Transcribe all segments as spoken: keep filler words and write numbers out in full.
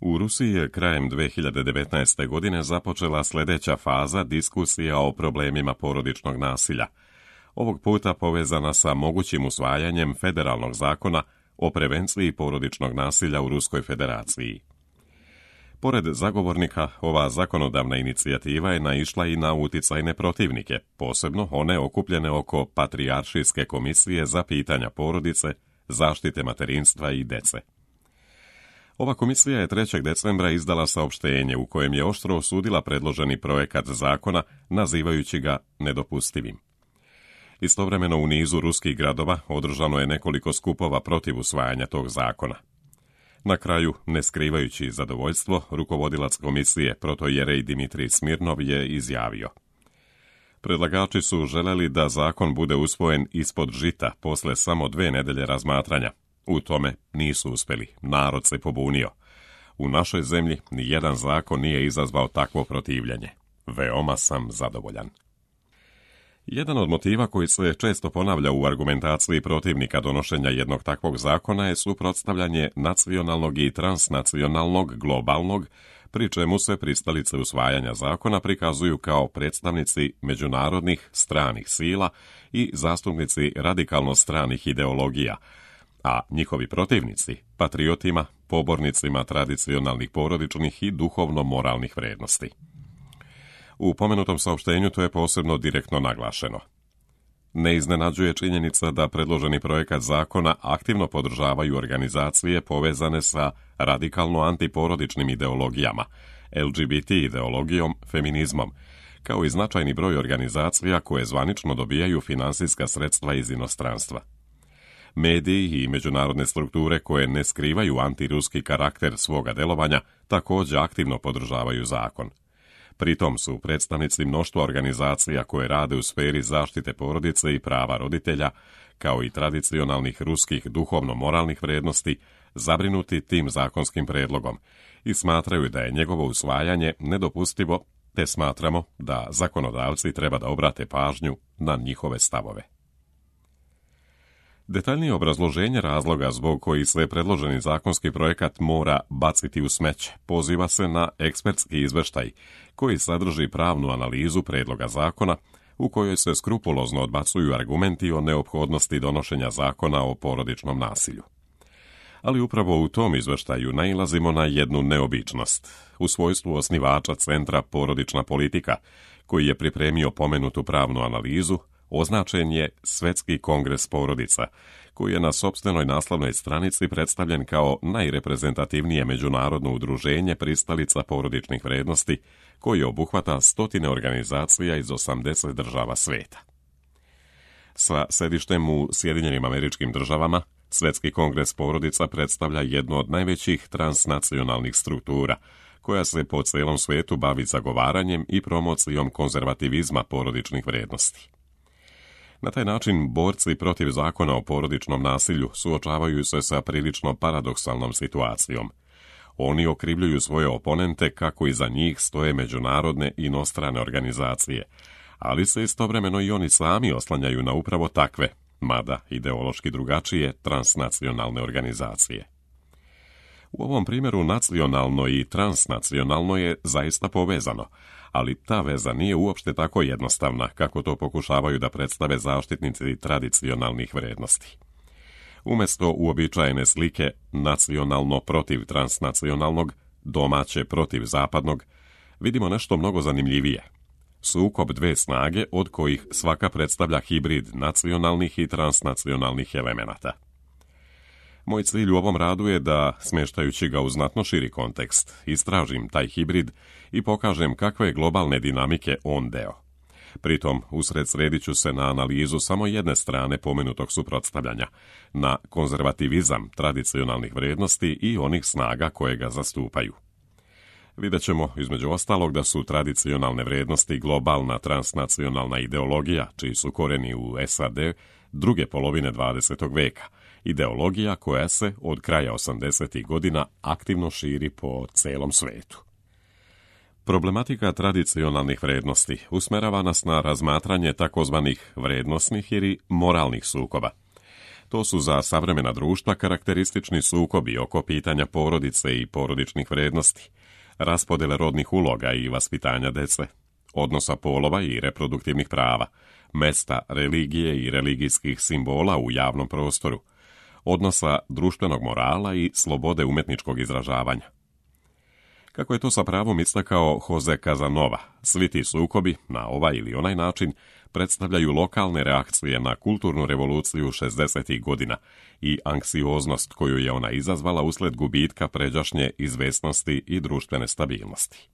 U Rusiji je krajem dve hiljade devetnaeste. godine započela sljedeća faza diskusija o problemima porodičnog nasilja. Ovog puta povezana sa mogućim usvajanjem federalnog zakona o prevenciji porodičnog nasilja u Ruskoj federaciji. Pored zagovornika, ova zakonodavna inicijativa je naišla i na uticajne protivnike, posebno one okupljene oko Patrijaršijske komisije za pitanja porodice, zaštite materinstva i dece. Ova komisija je trećeg decembra izdala saopštenje u kojem je oštro osudila predloženi projekat zakona, nazivajući ga nedopustivim. Istovremeno u nizu ruskih gradova održano je nekoliko skupova protiv usvajanja tog zakona. Na kraju, ne skrivajući zadovoljstvo, rukovodilac komisije protojerej Dimitrij Smirnov je izjavio: predlagači su želeli da zakon bude usvojen ispod žita posle samo dve nedelje razmatranja. U tome nisu uspjeli, narod se pobunio. U našoj zemlji ni jedan zakon nije izazvao takvo protivljenje. Veoma sam zadovoljan. Jedan od motiva koji se često ponavlja u argumentaciji protivnika donošenja jednog takvog zakona je suprotstavljanje nacionalnog i transnacionalnog, globalnog, pri čemu se pristalice usvajanja zakona prikazuju kao predstavnici međunarodnih stranih sila i zastupnici radikalno stranih ideologija, a njihovi protivnici patriotima, pobornicima tradicionalnih porodičnih i duhovno-moralnih vrednosti. U pomenutom saopštenju to je posebno direktno naglašeno. Ne iznenađuje činjenica da predloženi projekat zakona aktivno podržavaju organizacije povezane sa radikalno antiporodičnim ideologijama, L G B T ideologijom, feminizmom, kao i značajni broj organizacija koje zvanično dobijaju finansijska sredstva iz inostranstva. Mediji i međunarodne strukture koje ne skrivaju antiruski karakter svoga delovanja također aktivno podržavaju zakon. Pritom su predstavnici mnoštva organizacija koje rade u sferi zaštite porodice i prava roditelja, kao i tradicionalnih ruskih duhovno-moralnih vrijednosti, zabrinuti tim zakonskim predlogom i smatraju da je njegovo usvajanje nedopustivo, te smatramo da zakonodavci treba da obrate pažnju na njihove stavove. Detaljnije obrazloženje razloga zbog koji se predloženi zakonski projekat mora baciti u smeće poziva se na ekspertski izveštaj koji sadrži pravnu analizu predloga zakona u kojoj se skrupulozno odbacuju argumenti o neophodnosti donošenja zakona o porodičnom nasilju. Ali upravo u tom izveštaju nailazimo na jednu neobičnost. U svojstvu osnivača Centra Porodična politika, koji je pripremio pomenutu pravnu analizu, označen je Svetski kongres porodica, koji je na sopstvenoj naslovnoj stranici predstavljen kao najreprezentativnije međunarodno udruženje pristalica porodičnih vrednosti, koji obuhvata stotine organizacija iz osamdeset država sveta. Sa sedištem u Sjedinjenim Američkim Državama, Svetski kongres porodica predstavlja jednu od najvećih transnacionalnih struktura, koja se po celom svetu bavi zagovaranjem i promocijom konzervativizma porodičnih vrednosti. Na taj način borci protiv zakona o porodičnom nasilju suočavaju se sa prilično paradoksalnom situacijom. Oni okrivljuju svoje oponente kako iza njih stoje međunarodne i inostrane organizacije, ali se istovremeno i oni sami oslanjaju na upravo takve, mada ideološki drugačije, transnacionalne organizacije. U ovom primjeru nacionalno i transnacionalno je zaista povezano, ali ta veza nije uopšte tako jednostavna kako to pokušavaju da predstave zaštitnici tradicionalnih vrednosti. Umjesto uobičajene slike nacionalno protiv transnacionalnog, domaće protiv zapadnog, vidimo nešto mnogo zanimljivije. Sukob dve snage od kojih svaka predstavlja hibrid nacionalnih i transnacionalnih elemenata. Moj cilj u ovom radu je da, smještajući ga u znatno širi kontekst, istražim taj hibrid i pokažem kakve globalne dinamike on deo. Pritom, usred sredit ću se na analizu samo jedne strane pomenutog suprotstavljanja, na konzervativizam tradicionalnih vrednosti i onih snaga koje ga zastupaju. Vidjet ćemo, između ostalog, da su tradicionalne vrednosti globalna transnacionalna ideologija, čiji su koreni u S A D druge polovine dvadesetog veka, ideologija koja se od kraja osamdesetih godina aktivno širi po celom svetu. Problematika tradicionalnih vrednosti usmerava nas na razmatranje takozvanih vrednosnih ili moralnih sukoba. To su za savremena društva karakteristični sukobi oko pitanja porodice i porodičnih vrijednosti, raspodjele rodnih uloga i vaspitanja dece, odnosa polova i reproduktivnih prava, mesta religije i religijskih simbola u javnom prostoru, odnosa društvenog morala i slobode umjetničkog izražavanja. Kako je to sa pravom istakao Jose Casanova, svi ti sukobi, na ovaj ili onaj način, predstavljaju lokalne reakcije na kulturnu revoluciju šezdesetih godina i anksioznost koju je ona izazvala usled gubitka pređašnje izvesnosti i društvene stabilnosti.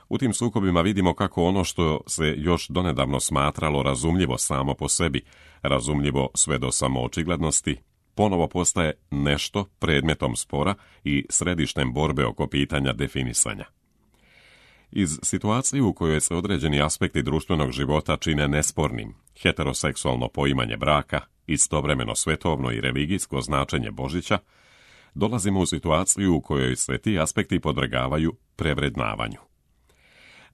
U tim sukobima vidimo kako ono što se još donedavno smatralo razumljivo samo po sebi, razumljivo sve do samoočiglednosti, ponovo postaje nešto predmetom spora i središtem borbe oko pitanja definisanja. Iz situacije u kojoj se određeni aspekti društvenog života čine nespornim, heteroseksualno poimanje braka, istovremeno svetovno i religijsko značenje Božića, dolazimo u situaciju u kojoj se ti aspekti podvrgavaju prevrednavanju.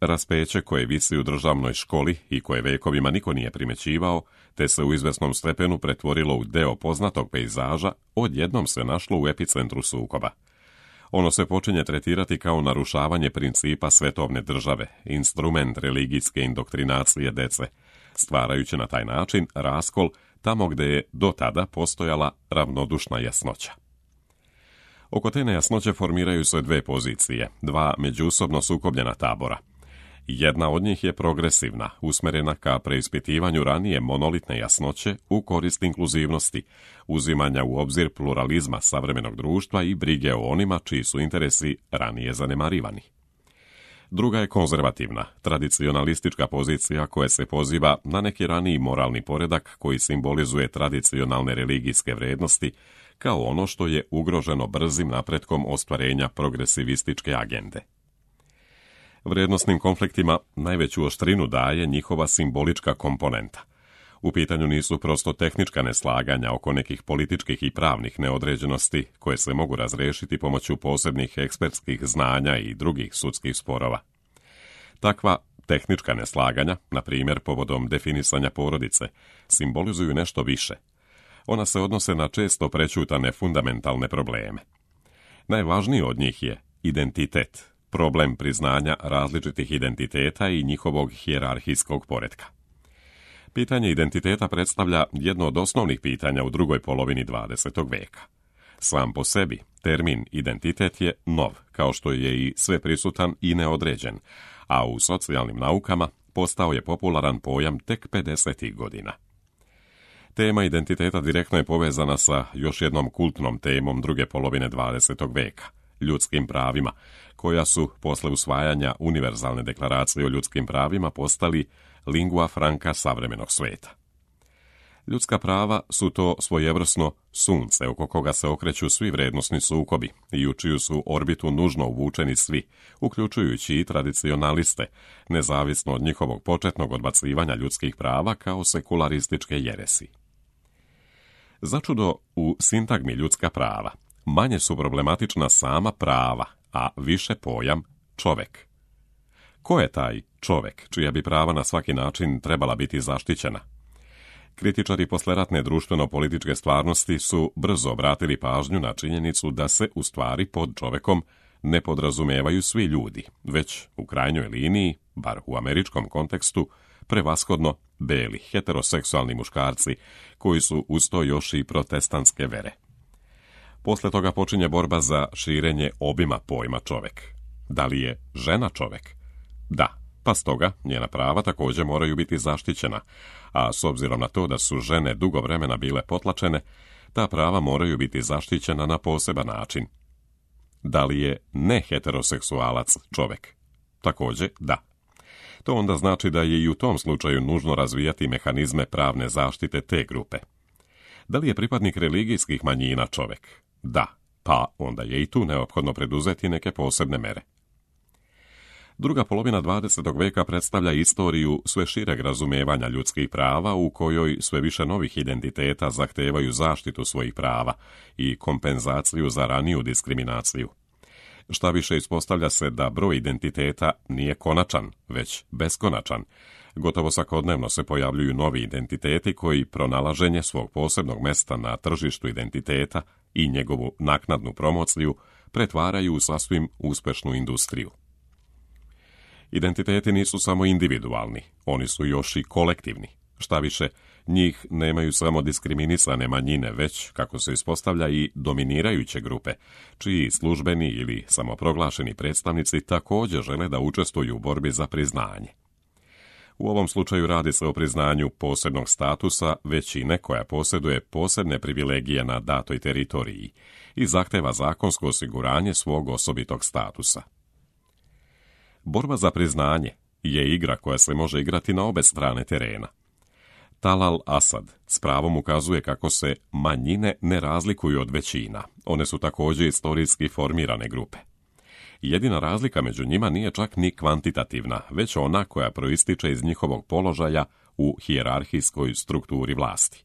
Raspeće koje visi u državnoj školi i koje vekovima niko nije primećivao, te se u izvesnom stepenu pretvorilo u deo poznatog pejzaža, odjednom se našlo u epicentru sukoba. Ono se počinje tretirati kao narušavanje principa svetovne države, instrument religijske indoktrinacije dece, stvarajući na taj način raskol tamo gde je do tada postojala ravnodušna jasnoća. Oko te nejasnoće formiraju se dve pozicije, dva međusobno sukobljena tabora. Jedna od njih je progresivna, usmjerena ka preispitivanju ranije monolitne jasnoće u korist inkluzivnosti, uzimanja u obzir pluralizma savremenog društva i brige o onima čiji su interesi ranije zanemarivani. Druga je konzervativna, tradicionalistička pozicija koja se poziva na neki raniji moralni poredak koji simbolizuje tradicionalne religijske vrijednosti kao ono što je ugroženo brzim napretkom ostvarenja progresivističke agende. Vrijednosnim konfliktima najveću oštrinu daje njihova simbolička komponenta. U pitanju nisu prosto tehnička neslaganja oko nekih političkih i pravnih neodređenosti koje se mogu razrešiti pomoću posebnih ekspertskih znanja i drugih sudskih sporova. Takva tehnička neslaganja, na primjer povodom definisanja porodice, simbolizuju nešto više. Ona se odnose na često prećutane fundamentalne probleme. Najvažniji od njih je identitet, problem priznanja različitih identiteta i njihovog hijerarhijskog poretka. Pitanje identiteta predstavlja jedno od osnovnih pitanja u drugoj polovini dvadesetog veka. Sam po sebi, termin identitet je nov, kao što je i sveprisutan i neodređen, a u socijalnim naukama postao je popularan pojam tek pedesetih godina. Tema identiteta direktno je povezana sa još jednom kultnom temom druge polovine dvadesetog veka, ljudskim pravima, koja su posle usvajanja Univerzalne deklaracije o ljudskim pravima postali lingua franca savremenog sveta. Ljudska prava su to svojevrsno sunce oko koga se okreću svi vrednosni sukobi i u čiju su orbitu nužno uvučeni svi, uključujući i tradicionaliste, nezavisno od njihovog početnog odbacivanja ljudskih prava kao sekularističke jeresi. Začudo, u sintagmi ljudska prava manje su problematična sama prava, a više pojam čovek. Ko je taj čovek, čija bi prava na svaki način trebala biti zaštićena? Kritičari posleratne društveno-političke stvarnosti su brzo obratili pažnju na činjenicu da se u stvari pod čovekom ne podrazumevaju svi ljudi, već u krajnjoj liniji, bar u američkom kontekstu, prevashodno beli, heteroseksualni muškarci, koji su uz to još i protestantske vere. Posle toga počinje borba za širenje obima pojma čovek. Da li je žena čovek? Da, pa stoga njena prava također moraju biti zaštićena, a s obzirom na to da su žene dugo vremena bile potlačene, ta prava moraju biti zaštićena na poseban način. Da li je neheteroseksualac čovek? Također da. To onda znači da je i u tom slučaju nužno razvijati mehanizme pravne zaštite te grupe. Da li je pripadnik religijskih manjina čovek? Da, pa onda je i tu neophodno preduzeti neke posebne mere. Druga polovina dvadesetog veka predstavlja istoriju sve šireg razumevanja ljudskih prava u kojoj sve više novih identiteta zahtevaju zaštitu svojih prava i kompenzaciju za raniju diskriminaciju. Šta više, ispostavlja se da broj identiteta nije konačan, već beskonačan, Gotovo svakodnevno se pojavljuju novi identiteti koji pronalaženje svog posebnog mesta na tržištu identiteta i njegovu naknadnu promociju pretvaraju u sasvim uspešnu industriju. Identiteti nisu samo individualni, oni su još i kolektivni. Šta više, njih nemaju samo diskriminisane manjine, već, kako se ispostavlja, i dominirajuće grupe, čiji službeni ili samoproglašeni predstavnici također žele da učestvuju u borbi za priznanje. U ovom slučaju radi se o priznanju posebnog statusa većine koja posjeduje posebne privilegije na datoj teritoriji i zahteva zakonsko osiguranje svog osobitog statusa. Borba za priznanje je igra koja se može igrati na obe strane terena. Talal Asad s pravom ukazuje kako se manjine ne razlikuju od većina. One su također istorijski formirane grupe. Jedina razlika među njima nije čak ni kvantitativna, već ona koja proističe iz njihovog položaja u hijerarhijskoj strukturi vlasti.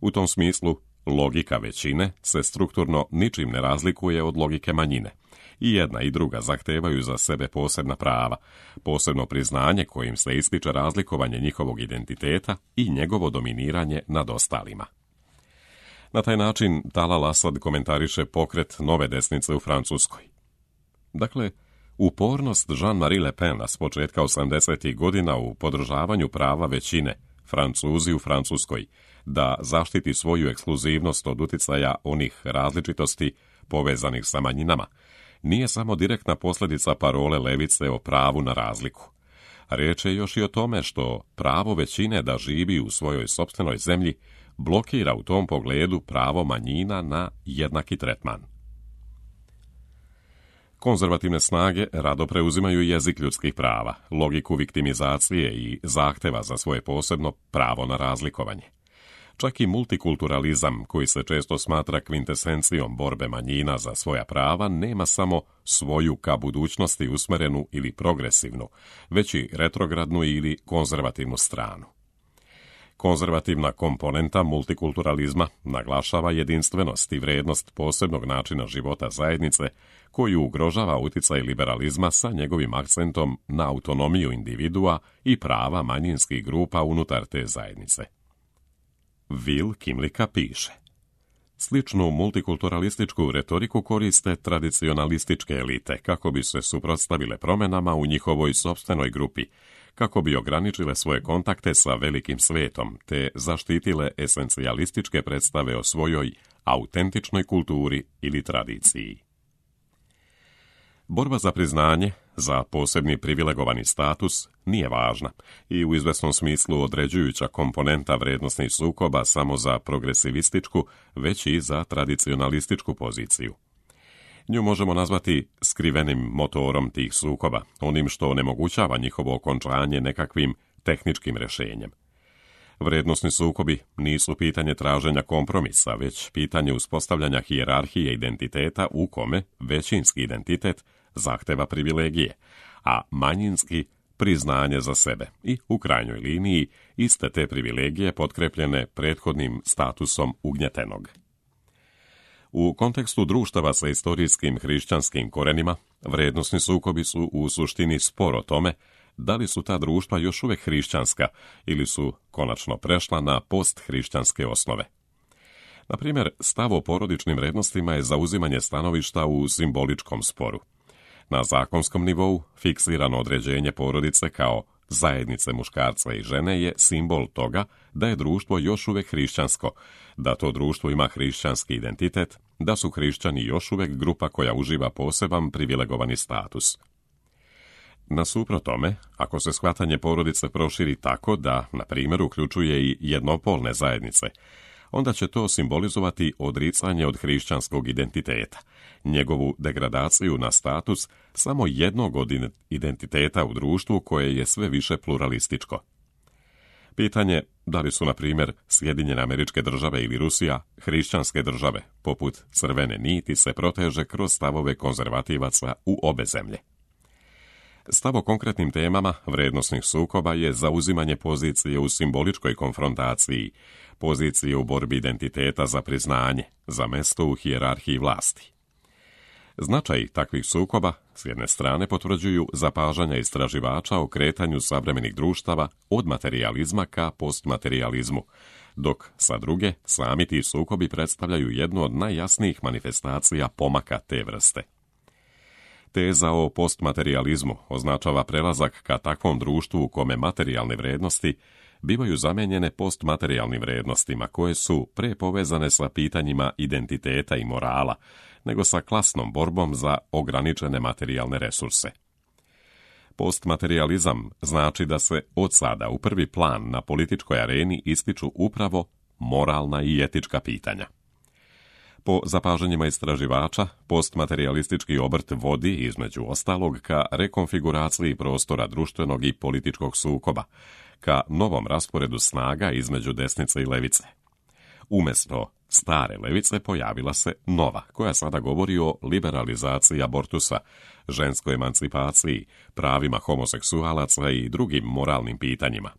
U tom smislu, logika većine se strukturno ničim ne razlikuje od logike manjine. I jedna i druga zahtevaju za sebe posebna prava, posebno priznanje kojim se ističe razlikovanje njihovog identiteta i njegovo dominiranje nad ostalima. Na taj način Talal Asad komentariše pokret nove desnice u Francuskoj. Dakle, upornost Jean-Marie Le Pena s početka osamdesetih godina u podržavanju prava većine, Francuzi u Francuskoj, da zaštiti svoju ekskluzivnost od uticaja onih različitosti povezanih sa manjinama, nije samo direktna posljedica parole levice o pravu na razliku. Riječ je još i o tome što pravo većine da živi u svojoj sopstvenoj zemlji blokira u tom pogledu pravo manjina na jednaki tretman. Konzervativne snage rado preuzimaju jezik ljudskih prava, logiku viktimizacije i zahteva za svoje posebno pravo na razlikovanje. Čak i multikulturalizam, koji se često smatra kvintesencijom borbe manjina za svoja prava, nema samo svoju ka budućnosti usmerenu ili progresivnu, već i retrogradnu ili konzervativnu stranu. Konzervativna komponenta multikulturalizma naglašava jedinstvenost i vrijednost posebnog načina života zajednice, koju ugrožava uticaj liberalizma sa njegovim akcentom na autonomiju individua i prava manjinskih grupa unutar te zajednice. Will Kimlicka piše: sličnu multikulturalističku retoriku koriste tradicionalističke elite kako bi se suprotstavile promjenama u njihovoj sopstvenoj grupi, kako bi ograničile svoje kontakte sa velikim svetom te zaštitile esencijalističke predstave o svojoj autentičnoj kulturi ili tradiciji. Borba za priznanje, za posebni privilegovani status, nije važna i u izvesnom smislu određujuća komponenta vrednosnih sukoba samo za progresivističku, već i za tradicionalističku poziciju. Nju možemo nazvati skrivenim motorom tih sukoba, onim što onemogućava njihovo okončanje nekakvim tehničkim rješenjem. Vrednosni sukobi nisu pitanje traženja kompromisa, već pitanje uspostavljanja hijerarhije identiteta u kome većinski identitet zahteva privilegije, a manjinski priznanje za sebe i, u krajnjoj liniji, iste te privilegije potkrepljene prethodnim statusom ugnjetenog. U kontekstu društava sa istorijskim hrišćanskim korenima, vrednosni sukobi su u suštini spor o tome da li su ta društva još uvijek hrišćanska ili su konačno prešla na posthrišćanske osnove. Na primjer, stav o porodičnim vrednostima je zauzimanje stanovišta u simboličkom sporu. Na zakonskom nivou fiksirano određenje porodice kao zajednice muškarca i žene je simbol toga da je društvo još uvijek hrišćansko, da to društvo ima hrišćanski identitet, da su hrišćani još uvijek grupa koja uživa poseban privilegovani status. Nasuprot tome, ako se shvatanje porodice proširi tako da, na primjer, uključuje i jednopolne zajednice, onda će to simbolizovati odricanje od hrišćanskog identiteta, njegovu degradaciju na status samo jednog od identiteta u društvu koje je sve više pluralističko. Pitanje da li su, na primjer, Sjedinjene Američke Države ili Rusija hrišćanske države, poput crvene niti, se proteže kroz stavove konzervativaca u obe zemlje. Stav o konkretnim temama vrednosnih sukoba je zauzimanje pozicije u simboličkoj konfrontaciji, pozicije u borbi identiteta za priznanje, za mesto u hijerarhiji vlasti. Značaj takvih sukoba s jedne strane potvrđuju zapažanja istraživača o kretanju savremenih društava od materijalizma ka postmaterijalizmu, dok sa druge sami ti sukobi predstavljaju jednu od najjasnijih manifestacija pomaka te vrste. Teza o postmaterijalizmu označava prelazak ka takvom društvu u kome materijalne vrednosti bivaju zamenjene postmaterijalnim vrednostima koje su pre povezane sa pitanjima identiteta i morala, nego sa klasnom borbom za ograničene materijalne resurse. Postmaterijalizam znači da se od sada u prvi plan na političkoj areni ističu upravo moralna i etička pitanja. Po zapažanjima istraživača, postmaterijalistički obrt vodi, između ostalog, ka rekonfiguraciji prostora društvenog i političkog sukoba, ka novom rasporedu snaga između desnice i levice. Umjesto stare levice pojavila se nova, koja sada govori o liberalizaciji abortusa, ženskoj emancipaciji, pravima homoseksualaca i drugim moralnim pitanjima.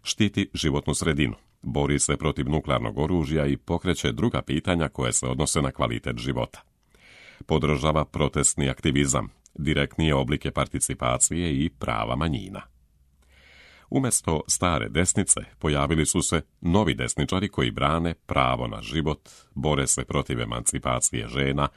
Štiti životnu sredinu, bori se protiv nuklearnog oružja i pokreće druga pitanja koje se odnose na kvalitet života. Podržava protestni aktivizam, direktnije oblike participacije i prava manjina. Umjesto stare desnice pojavili su se novi desničari koji brane pravo na život, bore se protiv emancipacije žena,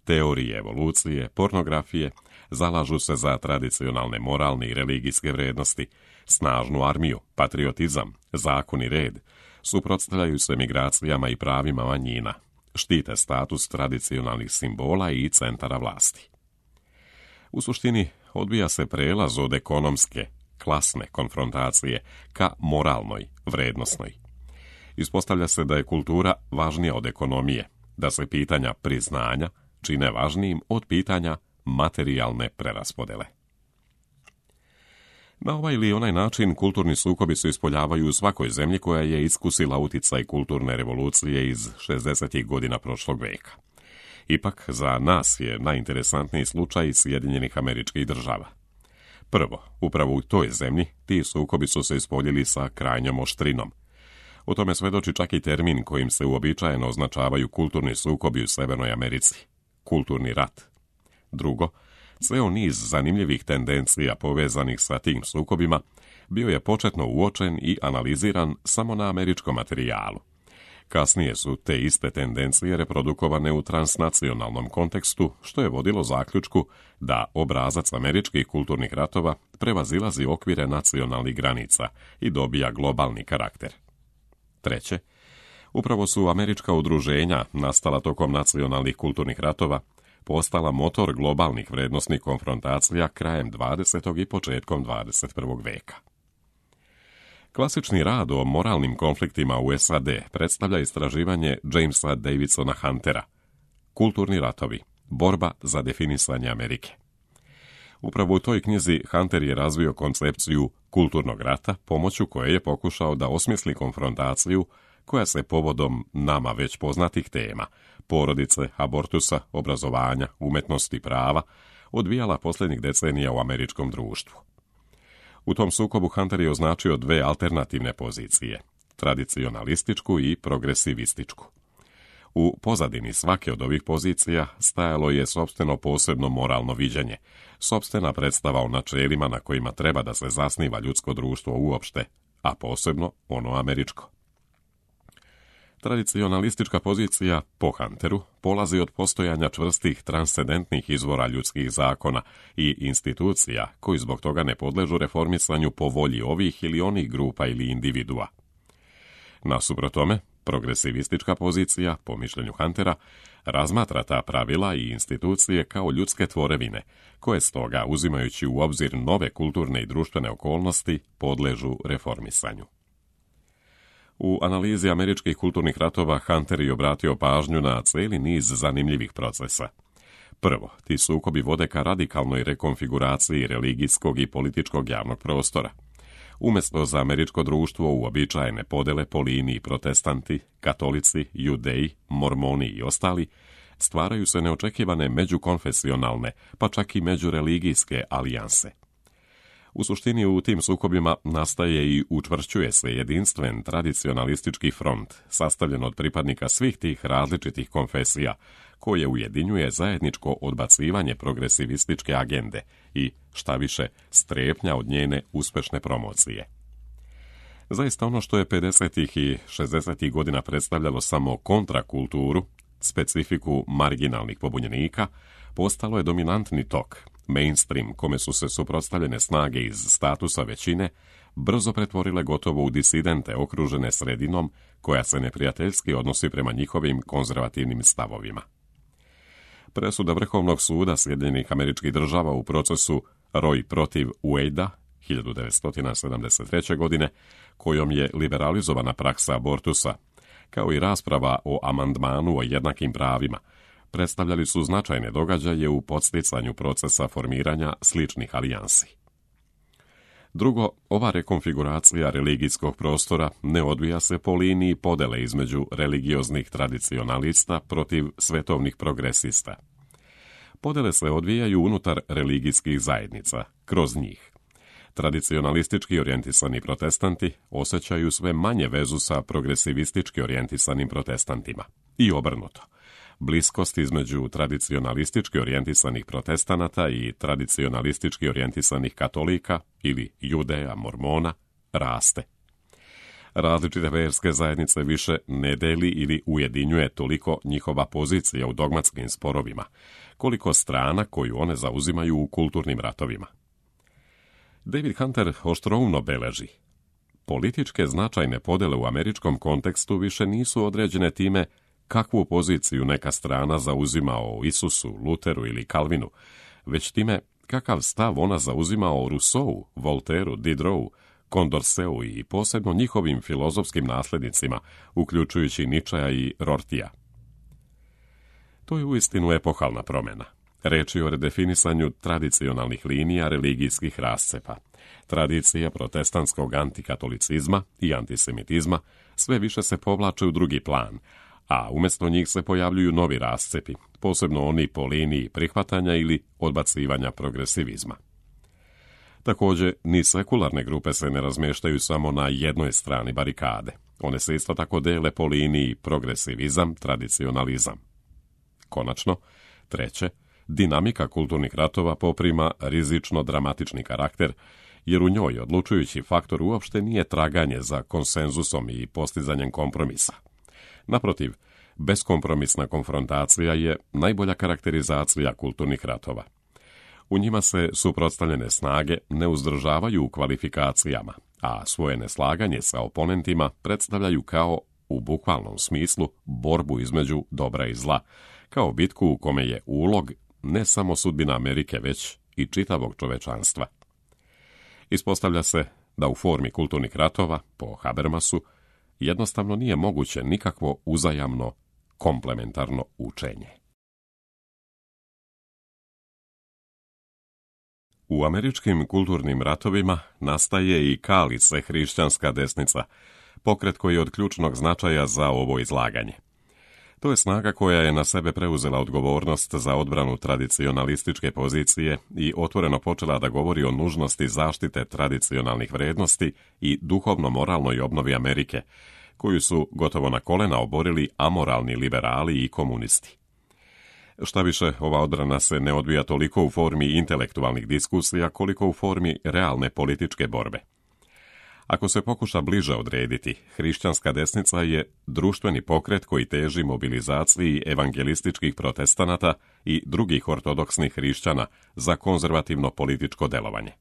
teorije evolucije, pornografije, zalažu se za tradicionalne moralne i religijske vrijednosti, snažnu armiju, patriotizam, zakon i red, suprotstavljaju se migracijama i pravima manjina, štite status tradicionalnih simbola i centara vlasti. U suštini odvija se prelaz od ekonomske, klasne konfrontacije ka moralnoj, vrednosnoj. Ispostavlja se da je kultura važnija od ekonomije, da se pitanja priznanja čine važnijim od pitanja materijalne preraspodele. Na ovaj ili onaj način kulturni sukobi se ispoljavaju u svakoj zemlji koja je iskusila uticaj kulturne revolucije iz šezdesetih godina prošlog veka. Ipak, za nas je najinteresantniji slučaj Sjedinjenih Američkih Država. Prvo, upravo u toj zemlji ti sukobi su se ispoljili sa krajnjom oštrinom. O tome svedoči čak i termin kojim se uobičajeno označavaju kulturni sukobi u Severnoj Americi – kulturni rat. Drugo, ceo niz zanimljivih tendencija povezanih sa tim sukobima bio je početno uočen i analiziran samo na američkom materijalu. Kasnije su te iste tendencije reprodukovane u transnacionalnom kontekstu, što je vodilo zaključku da obrazac američkih kulturnih ratova prevazilazi okvire nacionalnih granica i dobija globalni karakter. Treće, upravo su američka udruženja, nastala tokom nacionalnih kulturnih ratova, postala motor globalnih vrednosnih konfrontacija krajem dvadesetog i početkom dvadeset prvog veka. Klasični rad o moralnim konfliktima u S A D predstavlja istraživanje Jamesa Davidsona Huntera, Kulturni ratovi, borba za definisanje Amerike. Upravo u toj knjizi Hunter je razvio koncepciju kulturnog rata, pomoću koje je pokušao da osmisli konfrontaciju koja se povodom nama već poznatih tema, porodice, abortusa, obrazovanja, umetnosti, prava, odvijala posljednjih decenija u američkom društvu. U tom sukobu Hunter je označio dve alternativne pozicije, tradicionalističku i progresivističku. U pozadini svake od ovih pozicija stajalo je sopstveno posebno moralno viđenje, sopstvena predstava o načelima na kojima treba da se zasniva ljudsko društvo uopšte, a posebno ono američko. Tradicionalistička pozicija, po Hunteru, polazi od postojanja čvrstih transcendentnih izvora ljudskih zakona i institucija koji zbog toga ne podležu reformisanju po volji ovih ili onih grupa ili individua. Nasuprot tome, progresivistička pozicija, po mišljenju Huntera, razmatra ta pravila i institucije kao ljudske tvorevine, koje stoga, uzimajući u obzir nove kulturne i društvene okolnosti, podležu reformisanju. U analizi američkih kulturnih ratova Hunter je obratio pažnju na cijeli niz zanimljivih procesa. Prvo, ti sukobi vode ka radikalnoj rekonfiguraciji religijskog i političkog javnog prostora. Umjesto za američko društvo uobičajene podele po liniji protestanti, katolici, judeji, mormoni i ostali, stvaraju se neočekivane međukonfesionalne, pa čak i međureligijske alijanse. U suštini u tim sukobima nastaje i učvršćuje se jedinstven tradicionalistički front, sastavljen od pripadnika svih tih različitih konfesija, koje ujedinjuje zajedničko odbacivanje progresivističke agende i, šta više, strepnja od njene uspešne promocije. Zaista ono što je pedesetih i šezdesetih godina predstavljalo samo kontrakulturu, specifiku marginalnih pobunjenika, postalo je dominantni tok, mainstream kome su se suprotstavljene snage iz statusa većine, brzo pretvorile gotovo u disidente okružene sredinom koja se neprijateljski odnosi prema njihovim konzervativnim stavovima. Presuda Vrhovnog suda Sjedinjenih Američkih Država u procesu Roe protiv Wadea hiljadu devetsto sedamdeset treće. godine, kojom je liberalizovana praksa abortusa, kao i rasprava o amandmanu o jednakim pravima, predstavljali su značajne događaje u podsticanju procesa formiranja sličnih alijansi. Drugo, ova rekonfiguracija religijskog prostora ne odvija se po liniji podele između religioznih tradicionalista protiv svetovnih progresista. Podele se odvijaju unutar religijskih zajednica, kroz njih. Tradicionalistički orijentisani protestanti osjećaju sve manje vezu sa progresivistički orijentisanim protestantima. I obrnuto. Bliskost između tradicionalistički orijentisanih protestanata i tradicionalistički orijentisanih katolika ili judeja, mormona, raste. Različite verske zajednice više ne deli ili ujedinjuje toliko njihova pozicija u dogmatskim sporovima, koliko strana koju one zauzimaju u kulturnim ratovima. David Hunter oštroumno beleži: političke značajne podele u američkom kontekstu više nisu određene time kakvu poziciju neka strana zauzima o Isusu, Luteru ili Kalvinu, već time kakav stav ona zauzima o Rousseau, Voltairu, Diderot, Condorceu i posebno njihovim filozofskim naslednicima, uključujući Nietzschea i Rortija. To je uistinu epohalna promjena. Reč je o redefinisanju tradicionalnih linija religijskih rascepa. Tradicija protestantskog antikatolicizma i antisemitizma sve više se povlače u drugi plan, a umjesto njih se pojavljuju novi rascepi, posebno oni po liniji prihvatanja ili odbacivanja progresivizma. Također, ni sekularne grupe se ne razmještaju samo na jednoj strani barikade. One se isto tako dele po liniji progresivizam, tradicionalizam. Konačno, treće, dinamika kulturnih ratova poprima rizično dramatični karakter, jer u njoj odlučujući faktor uopšte nije traganje za konsenzusom i postizanjem kompromisa. Naprotiv, beskompromisna konfrontacija je najbolja karakterizacija kulturnih ratova. U njima se suprotstavljene snage ne uzdržavaju u kvalifikacijama, a svoje neslaganje sa oponentima predstavljaju kao, u bukvalnom smislu, borbu između dobra i zla, kao bitku u kome je ulog ne samo sudbina Amerike, već i čitavog čovečanstva. Ispostavlja se da u formi kulturnih ratova, po Habermasu, jednostavno nije moguće nikakvo uzajamno komplementarno učenje. U američkim kulturnim ratovima nastaje i kali se hrišćanska desnica, pokret koji je od ključnog značaja za ovo izlaganje. To je snaga koja je na sebe preuzela odgovornost za odbranu tradicionalističke pozicije i otvoreno počela da govori o nužnosti zaštite tradicionalnih vrednosti i duhovno-moralnoj obnovi Amerike, koju su gotovo na kolena oborili amoralni liberali i komunisti. Šta više, ova odbrana se ne odvija toliko u formi intelektualnih diskusija, koliko u formi realne političke borbe. Ako se pokuša bliže odrediti, hrišćanska desnica je društveni pokret koji teži mobilizaciji evangelističkih protestanata i drugih ortodoksnih hrišćana za konzervativno političko delovanje.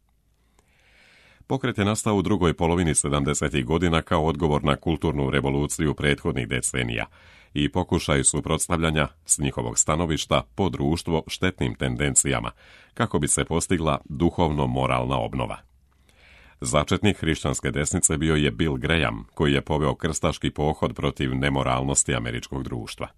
Pokret je nastao u drugoj polovini sedamdesetih godina kao odgovor na kulturnu revoluciju prethodnih decenija i pokušaj suprotstavljanja s njihovog stanovišta po društvo štetnim tendencijama, kako bi se postigla duhovno-moralna obnova. Začetnik hrišćanske desnice bio je Bill Graham, koji je poveo krstaški pohod protiv nemoralnosti američkog društva.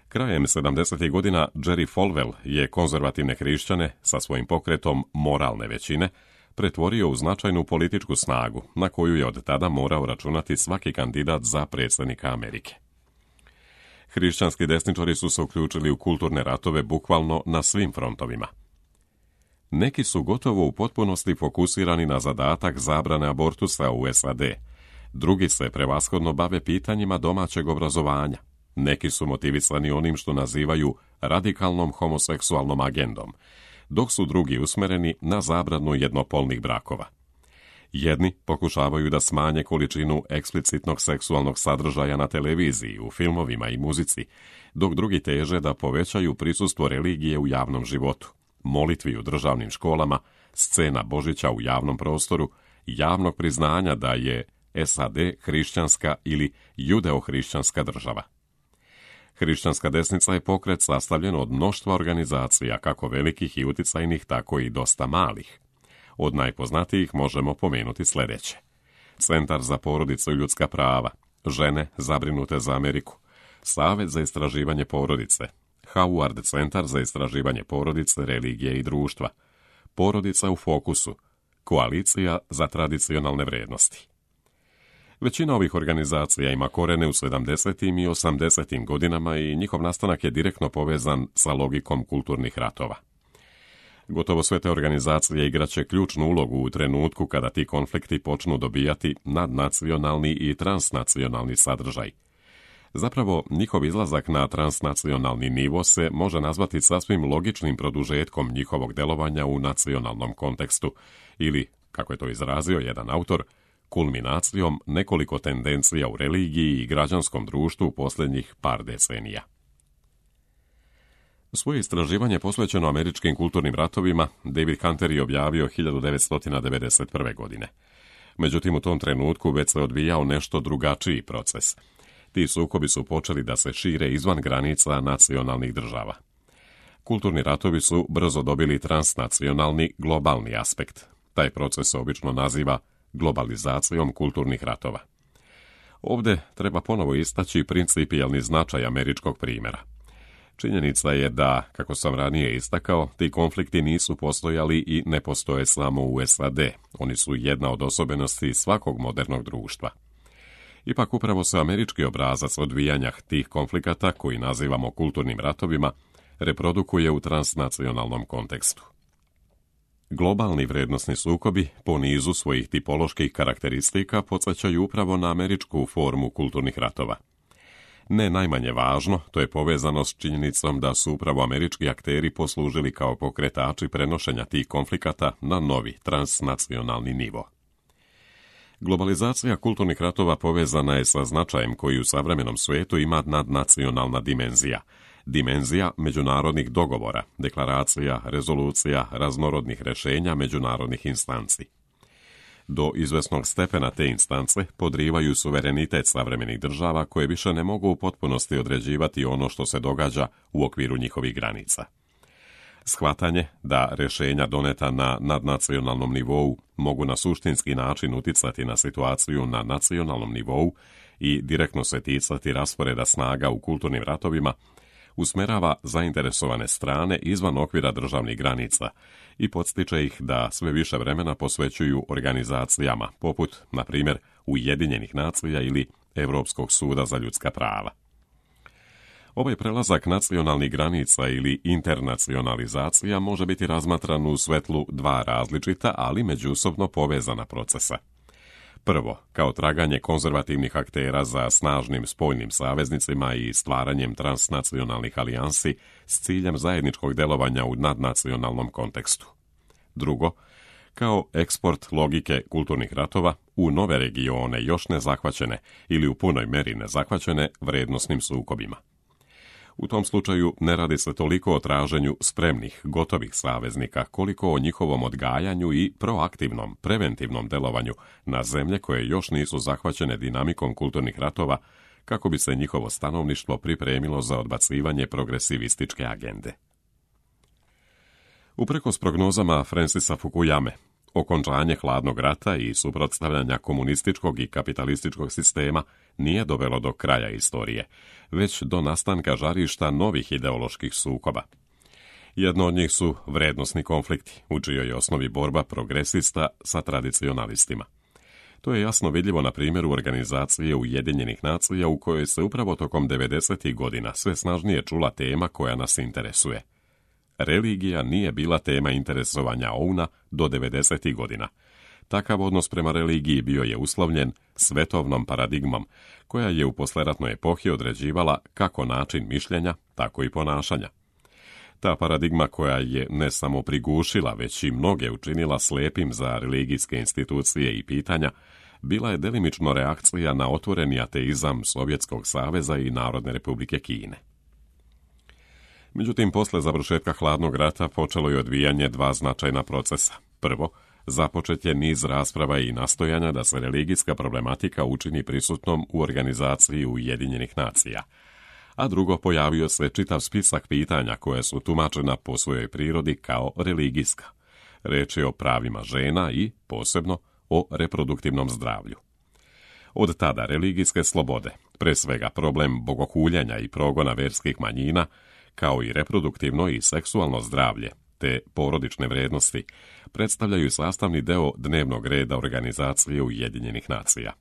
Krajem sedamdesetih godina Jerry Falwell je konzervativne hrišćane sa svojim pokretom moralne većine pretvorio u značajnu političku snagu, na koju je od tada morao računati svaki kandidat za predsjednika Amerike. Hrišćanski desničari su se uključili u kulturne ratove bukvalno na svim frontovima. Neki su gotovo u potpunosti fokusirani na zadatak zabrane abortusa u S A D, drugi se prevashodno bave pitanjima domaćeg obrazovanja, Neki su motivisani onim što nazivaju radikalnom homoseksualnom agendom, dok su drugi usmereni na zabranu jednopolnih brakova. Jedni pokušavaju da smanje količinu eksplicitnog seksualnog sadržaja na televiziji, u filmovima i muzici, dok drugi teže da povećaju prisustvo religije u javnom životu, molitvi u državnim školama, scena Božića u javnom prostoru, javnog priznanja da je S A D hrišćanska ili judeo-hrišćanska država. Hrišćanska desnica je pokret sastavljen od mnoštva organizacija, kako velikih i uticajnih, tako i dosta malih. Od najpoznatijih možemo pomenuti sljedeće: Centar za porodicu i ljudska prava, Žene zabrinute za Ameriku, Savez za istraživanje porodice, Howard centar za istraživanje porodice, religije i društva, Porodica u fokusu, Koalicija za tradicionalne vrijednosti. Većina ovih organizacija ima korene u sedamdesetim i osamdesetim godinama i njihov nastanak je direktno povezan sa logikom kulturnih ratova. Gotovo sve te organizacije igraće ključnu ulogu u trenutku kada ti konflikti počnu dobijati nadnacionalni i transnacionalni sadržaj. Zapravo, njihov izlazak na transnacionalni nivo se može nazvati sasvim logičnim produžetkom njihovog delovanja u nacionalnom kontekstu ili, kako je to izrazio jedan autor, kulminacijom nekoliko tendencija u religiji i građanskom društvu u posljednjih par decenija. Svoje istraživanje posvećeno američkim kulturnim ratovima David Hunter je objavio hiljadu devetsto devedeset prve. godine. Međutim, u tom trenutku već se odvijao nešto drugačiji proces. Ti sukobi su počeli da se šire izvan granica nacionalnih država. Kulturni ratovi su brzo dobili transnacionalni, globalni aspekt. Taj proces se obično naziva globalizacijom kulturnih ratova. Ovdje treba ponovo istaći principijelni značaj američkog primjera. Činjenica je da, kako sam ranije istakao, ti konflikti nisu postojali i ne postoje samo u S A D. Oni su jedna od osobenosti svakog modernog društva. Ipak upravo se američki obrazac odvijanja tih konflikata, koji nazivamo kulturnim ratovima, reprodukuje u transnacionalnom kontekstu. Globalni vrednosni sukobi po nizu svojih tipoloških karakteristika podsjećaju upravo na američku formu kulturnih ratova. Ne najmanje važno, to je povezano s činjenicom da su upravo američki akteri poslužili kao pokretači prenošenja tih konflikata na novi transnacionalni nivo. Globalizacija kulturnih ratova povezana je sa značajem koji u savremenom svijetu ima nadnacionalna dimenzija. Dimenzija međunarodnih dogovora, deklaracija, rezolucija, raznorodnih rješenja međunarodnih instanci. Do izvesnog stepena te instance podrivaju suverenitet savremenih država koje više ne mogu u potpunosti određivati ono što se događa u okviru njihovih granica. Shvatanje da rješenja doneta na nadnacionalnom nivou mogu na suštinski način uticati na situaciju na nacionalnom nivou i direktno se ticati rasporeda snaga u kulturnim ratovima, usmerava zainteresovane strane izvan okvira državnih granica i podstiče ih da sve više vremena posvećuju organizacijama poput, na primjer, Ujedinjenih nacija ili Europskog suda za ljudska prava. Ovaj prelazak nacionalnih granica ili internacionalizacija može biti razmatran u svetlu dva različita, ali međusobno povezana procesa. Prvo, kao traganje konzervativnih aktera za snažnim spoljnim saveznicima i stvaranjem transnacionalnih alijansi s ciljem zajedničkog delovanja u nadnacionalnom kontekstu. Drugo, kao eksport logike kulturnih ratova u nove regione još nezahvaćene ili u punoj meri nezahvaćene vrednosnim sukobima. U tom slučaju ne radi se toliko o traženju spremnih, gotovih saveznika, koliko o njihovom odgajanju i proaktivnom, preventivnom delovanju na zemlje koje još nisu zahvaćene dinamikom kulturnih ratova, kako bi se njihovo stanovništvo pripremilo za odbacivanje progresivističke agende. Uprkos prognozama Francisa Fukuyame, okončanje hladnog rata i suprotstavljanja komunističkog i kapitalističkog sistema nije dovelo do kraja istorije, već do nastanka žarišta novih ideoloških sukoba. Jedno od njih su vrednosni konflikti, u čijoj je osnovi borba progresista sa tradicionalistima. To je jasno vidljivo na primjeru organizacije Ujedinjenih nacija u kojoj se upravo tokom devedesetih godina sve snažnije čula tema koja nas interesuje. Religija nije bila tema interesovanja O U N-a do devedesetih godina. Takav odnos prema religiji bio je uslovljen svetovnom paradigmom, koja je u posleratnoj epohi određivala kako način mišljenja, tako i ponašanja. Ta paradigma koja je ne samo prigušila, već i mnoge učinila slepim za religijske institucije i pitanja, bila je delimično reakcija na otvoreni ateizam Sovjetskog saveza i Narodne republike Kine. Međutim, posle završetka hladnog rata počelo je odvijanje dva značajna procesa. Prvo, započet je niz rasprava i nastojanja da se religijska problematika učini prisutnom u organizaciji Ujedinjenih nacija. A drugo, pojavio se čitav spisak pitanja koje su tumačena po svojoj prirodi kao religijska. Reč je o pravima žena i, posebno, o reproduktivnom zdravlju. Od tada religijske slobode, pre svega problem bogohuljenja i progona verskih manjina, kao i reproduktivno i seksualno zdravlje, te porodične vrednosti, predstavljaju sastavni deo dnevnog reda organizacije Ujedinjenih nacija.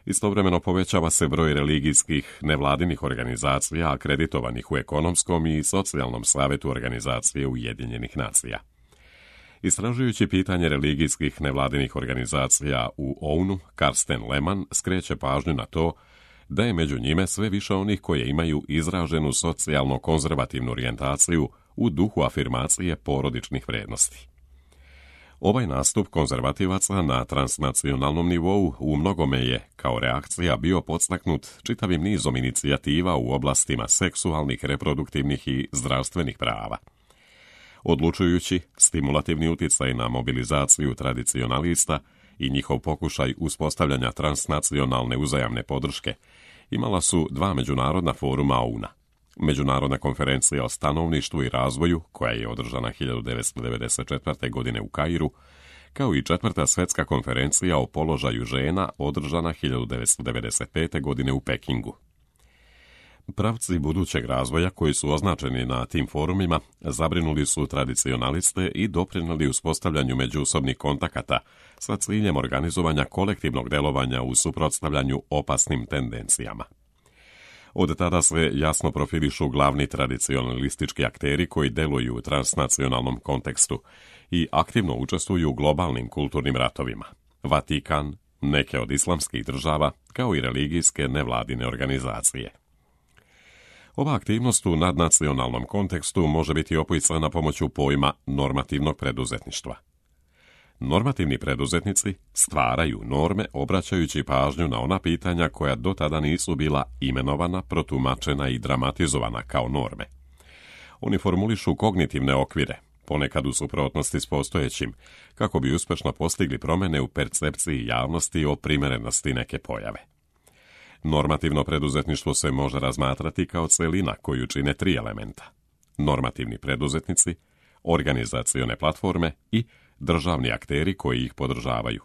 Istovremeno povećava se broj religijskih nevladinih organizacija akreditovanih u ekonomskom i socijalnom savetu organizacije Ujedinjenih nacija. Istražujući pitanje religijskih nevladinih organizacija u O U N-u, Karsten Lehmann skreće pažnju na to da je među njime sve više onih koje imaju izraženu socijalno-konzervativnu orijentaciju u duhu afirmacije porodičnih vrednosti. Ovaj nastup konzervativaca na transnacionalnom nivou u mnogome je, kao reakcija, bio podstaknut čitavim nizom inicijativa u oblastima seksualnih, reproduktivnih i zdravstvenih prava. Odlučujući stimulativni uticaj na mobilizaciju tradicionalista i njihov pokušaj uspostavljanja transnacionalne uzajamne podrške imala su dva međunarodna foruma O U N-a. Međunarodna konferencija o stanovništvu i razvoju, koja je održana hiljadu devetsto devedeset četvrte. godine u Kairu, kao i četvrta svetska konferencija o položaju žena, održana hiljadu devetsto devedeset pete. godine u Pekingu. Pravci budućeg razvoja koji su označeni na tim forumima zabrinuli su tradicionaliste i doprinijeli uspostavljanju međusobnih kontakata sa ciljem organizovanja kolektivnog delovanja u suprotstavljanju opasnim tendencijama. Od tada se jasno profilišu glavni tradicionalistički akteri koji deluju u transnacionalnom kontekstu i aktivno učestvuju u globalnim kulturnim ratovima. Vatikan, neke od islamskih država, kao i religijske nevladine organizacije. Ova aktivnost u nadnacionalnom kontekstu može biti opisana pomoću pojma normativnog preduzetništva. Normativni preduzetnici stvaraju norme obraćajući pažnju na ona pitanja koja do tada nisu bila imenovana, protumačena i dramatizovana kao norme. Oni formulišu kognitivne okvire, ponekad u suprotnosti s postojećim, kako bi uspešno postigli promjene u percepciji javnosti o primerenosti neke pojave. Normativno preduzetništvo se može razmatrati kao celina koju čine tri elementa: normativni preduzetnici, organizacione platforme i državni akteri koji ih podržavaju.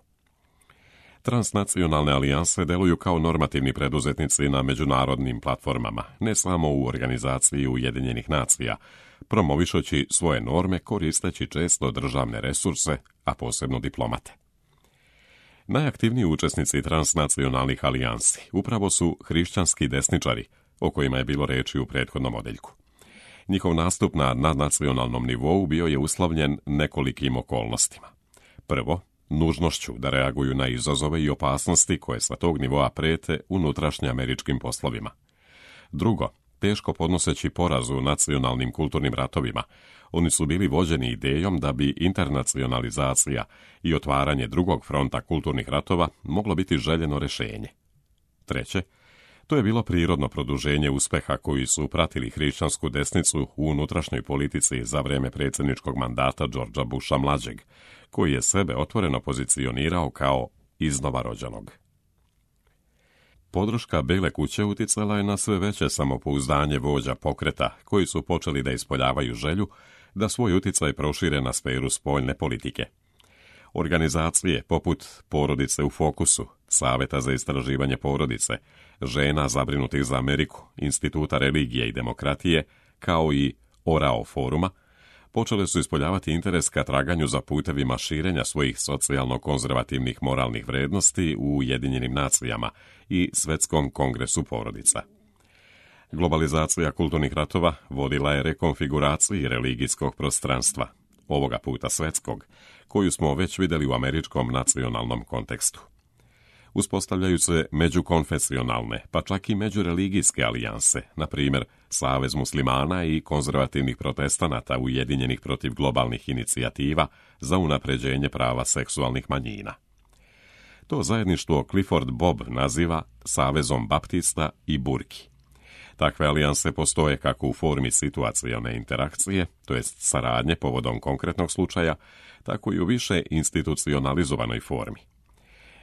Transnacionalne alijanse deluju kao normativni preduzetnici na međunarodnim platformama, ne samo u organizaciji Ujedinjenih nacija, promovišući svoje norme koristeći često državne resurse, a posebno diplomate. Najaktivniji učesnici transnacionalnih alijansi upravo su hrišćanski desničari, o kojima je bilo reči u prethodnom odeljku. Njihov nastup na nadnacionalnom nivou bio je uslovljen nekolikim okolnostima. Prvo, nužnošću da reaguju na izazove i opasnosti koje sa tog nivoa prete unutrašnje američkim poslovima. Drugo, teško podnoseći poraz u nacionalnim kulturnim ratovima, oni su bili vođeni idejom da bi internacionalizacija i otvaranje drugog fronta kulturnih ratova moglo biti željeno rješenje. Treće, to je bilo prirodno produženje uspeha koji su pratili hrišćansku desnicu u unutrašnjoj politici za vrijeme predsjedničkog mandata Georgea Busha mlađeg, koji je sebe otvoreno pozicionirao kao iznova rođenog. Podrška Bele kuće uticala je na sve veće samopouzdanje vođa pokreta, koji su počeli da ispoljavaju želju da svoj uticaj prošire na sferu spoljne politike. Organizacije poput Porodice u fokusu, Saveta za istraživanje porodice, Žena zabrinutih za Ameriku, Instituta religije i demokratije, kao i Orao foruma, počele su ispoljavati interes ka traganju za putevima širenja svojih socijalno-konzervativnih moralnih vrednosti u Ujedinjenim nacijama i Svetskom kongresu porodica. Globalizacija kulturnih ratova vodila je rekonfiguraciji religijskog prostranstva. ovoga puta svetskog, koju smo već vidjeli u američkom nacionalnom kontekstu. Uspostavljaju se međukonfesionalne, pa čak i međureligijske alijanse, na primjer Savez muslimana i konzervativnih protestanata ujedinjenih protiv globalnih inicijativa za unapređenje prava seksualnih manjina. To zajedništvo Clifford Bob naziva Savezom baptista i burki. Takve alijanse postoje kako u formi situacione interakcije, to jest saradnje povodom konkretnog slučaja, tako i u više institucionalizovanoj formi.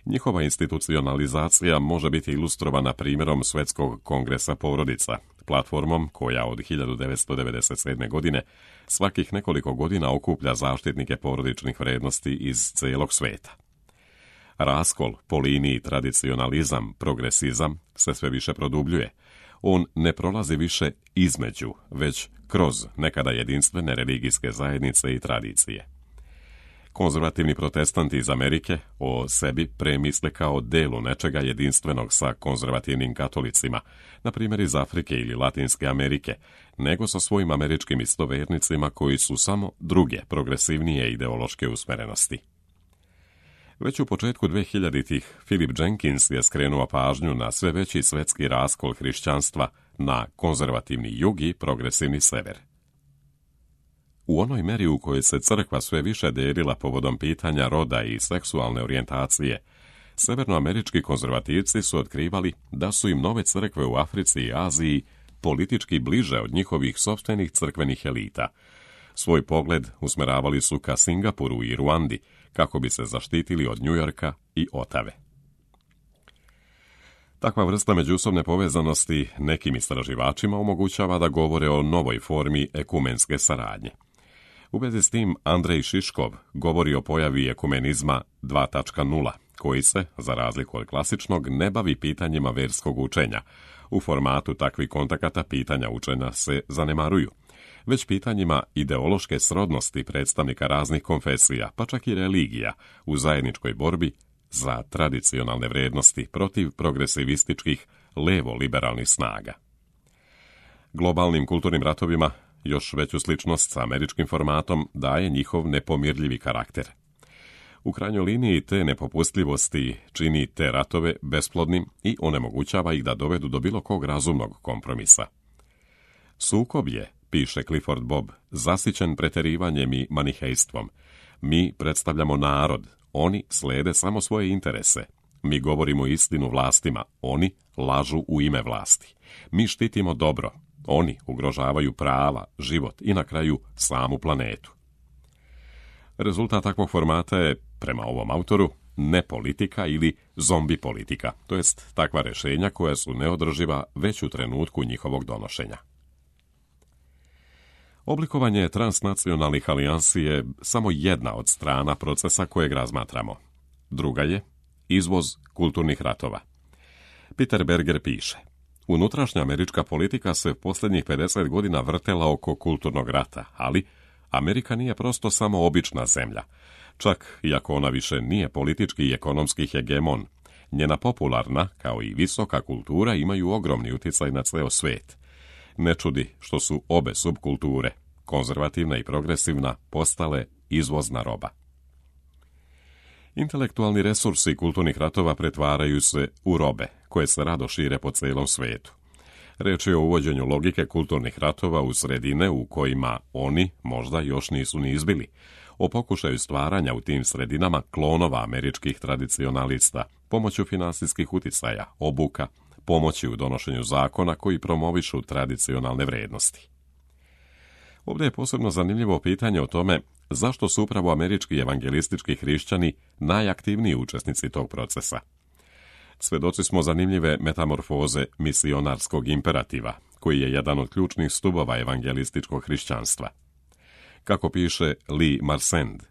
Njihova institucionalizacija može biti ilustrovana primjerom Svjetskog kongresa porodica, platformom koja od hiljadu devetsto devedeset sedme. godine svakih nekoliko godina okuplja zaštitnike porodičnih vrijednosti iz cijelog svijeta. Raskol po liniji tradicionalizam, progresizam se sve više produbljuje. On ne prolazi više između, već kroz nekada jedinstvene religijske zajednice i tradicije. Konzervativni protestanti iz Amerike o sebi premisle kao delu nečega jedinstvenog sa konzervativnim katolicima, na primjer iz Afrike ili Latinske Amerike, nego sa svojim američkim istovernicima koji su samo druge, progresivnije ideološke usmerenosti. Već u početku dvehiljaditih Philip Jenkins je skrenuo pažnju na sve veći svetski raskol hrišćanstva na konzervativni jug i progresivni sever. U onoj meri u kojoj se crkva sve više delila povodom pitanja roda i seksualne orijentacije, severnoamerički konzervativci su otkrivali da su im nove crkve u Africi i Aziji politički bliže od njihovih sopstvenih crkvenih elita. Svoj pogled usmeravali su ka Singapuru i Ruandi, kako bi se zaštitili od Njujorka i Otave. Takva vrsta međusobne povezanosti nekim istraživačima omogućava da govore o novoj formi ekumenske saradnje. U vezi s tim Andrej Šiškov govori o pojavi ekumenizma dva točka nula, koji se, za razliku od klasičnog, ne bavi pitanjima verskog učenja. U formatu takvih kontakata pitanja učenja se zanemaruju, već pitanjima ideološke srodnosti predstavnika raznih konfesija, pa čak i religija, u zajedničkoj borbi za tradicionalne vrijednosti protiv progresivističkih levo-liberalnih snaga. Globalnim kulturnim ratovima još veću sličnost sa američkim formatom daje njihov nepomirljivi karakter. U krajnjoj liniji te nepopustljivosti čini te ratove besplodnim i onemogućava ih da dovedu do bilo kog razumnog kompromisa. Sukob je, piše Clifford Bob, zasićen preterivanjem i manihejstvom. Mi predstavljamo narod, oni slede samo svoje interese. Mi govorimo istinu vlastima, oni lažu u ime vlasti. Mi štitimo dobro, oni ugrožavaju prava, život i na kraju samu planetu. Rezultat takvog formata je, prema ovom autoru, ne politika ili zombi politika, to jest takva rješenja koja su neodrživa već u trenutku njihovog donošenja. Oblikovanje transnacionalnih alijansi je samo jedna od strana procesa kojeg razmatramo. Druga je izvoz kulturnih ratova. Peter Berger piše: unutrašnja američka politika se posljednjih pedeset godina vrtela oko kulturnog rata, ali Amerika nije prosto samo obična zemlja. Čak iako ona više nije politički i ekonomski hegemon, njena popularna, kao i visoka kultura imaju ogromni utjecaj na ceo svijet. Ne čudi što su obe subkulture, konzervativna i progresivna, postale izvozna roba. Intelektualni resursi kulturnih ratova pretvaraju se u robe, koje se rado šire po celom svijetu. Reč je o uvođenju logike kulturnih ratova u sredine u kojima oni možda još nisu ni izbili, o pokušaju stvaranja u tim sredinama klonova američkih tradicionalista, pomoću finansijskih uticaja, obuka, pomoći u donošenju zakona koji promovišu tradicionalne vrijednosti. Ovdje je posebno zanimljivo pitanje o tome zašto su upravo američki evangelistički hrišćani najaktivniji učesnici tog procesa. Svedoci smo zanimljive metamorfoze misionarskog imperativa, koji je jedan od ključnih stubova evangelističkog hrišćanstva. Kako piše Lee Marsend,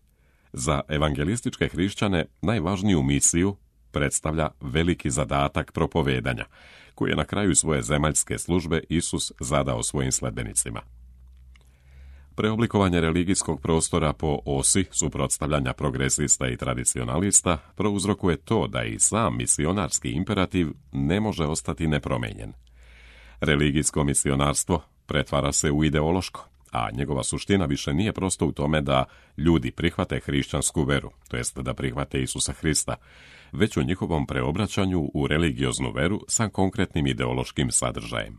za evangelističke hrišćane najvažniju misiju predstavlja veliki zadatak propovedanja, koji je na kraju svoje zemaljske službe Isus zadao svojim sledbenicima. Preoblikovanje religijskog prostora po osi suprotstavljanja progresista i tradicionalista prouzrokuje to da i sam misionarski imperativ ne može ostati nepromenjen. Religijsko misionarstvo pretvara se u ideološko, a njegova suština više nije prosto u tome da ljudi prihvate hrišćansku veru, to jest da prihvate Isusa Hrista, već u njihovom preobraćanju u religioznu veru sa konkretnim ideološkim sadržajem.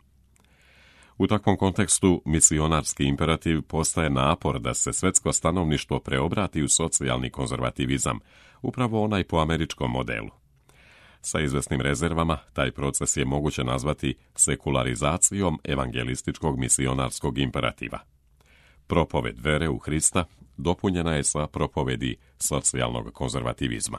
U takvom kontekstu misionarski imperativ postaje napor da se svetsko stanovništvo preobrati u socijalni konzervativizam, upravo onaj po američkom modelu. Sa izvesnim rezervama, taj proces je moguće nazvati sekularizacijom evangelističkog misionarskog imperativa. Propoved vere u Hrista dopunjena je sa propovedi socijalnog konzervativizma.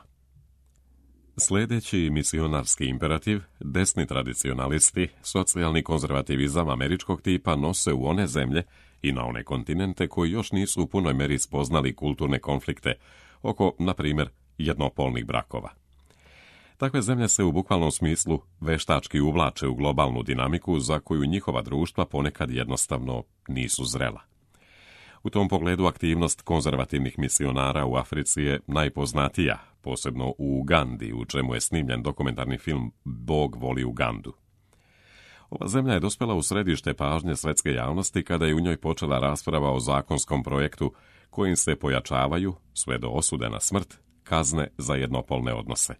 Sljedeći misionarski imperativ, desni tradicionalisti, socijalni konzervativizam američkog tipa nose u one zemlje i na one kontinente koji još nisu u punoj meri spoznali kulturne konflikte oko, na primjer, jednopolnih brakova. Takve zemlje se u bukvalnom smislu veštački uvlače u globalnu dinamiku za koju njihova društva ponekad jednostavno nisu zrela. U tom pogledu aktivnost konzervativnih misionara u Africi je najpoznatija, posebno u Ugandi, u čemu je snimljen dokumentarni film Bog voli Ugandu. Ova zemlja je dospjela u središte pažnje svetske javnosti kada je u njoj počela rasprava o zakonskom projektu kojim se pojačavaju, sve do osude na smrt, kazne za jednopolne odnose.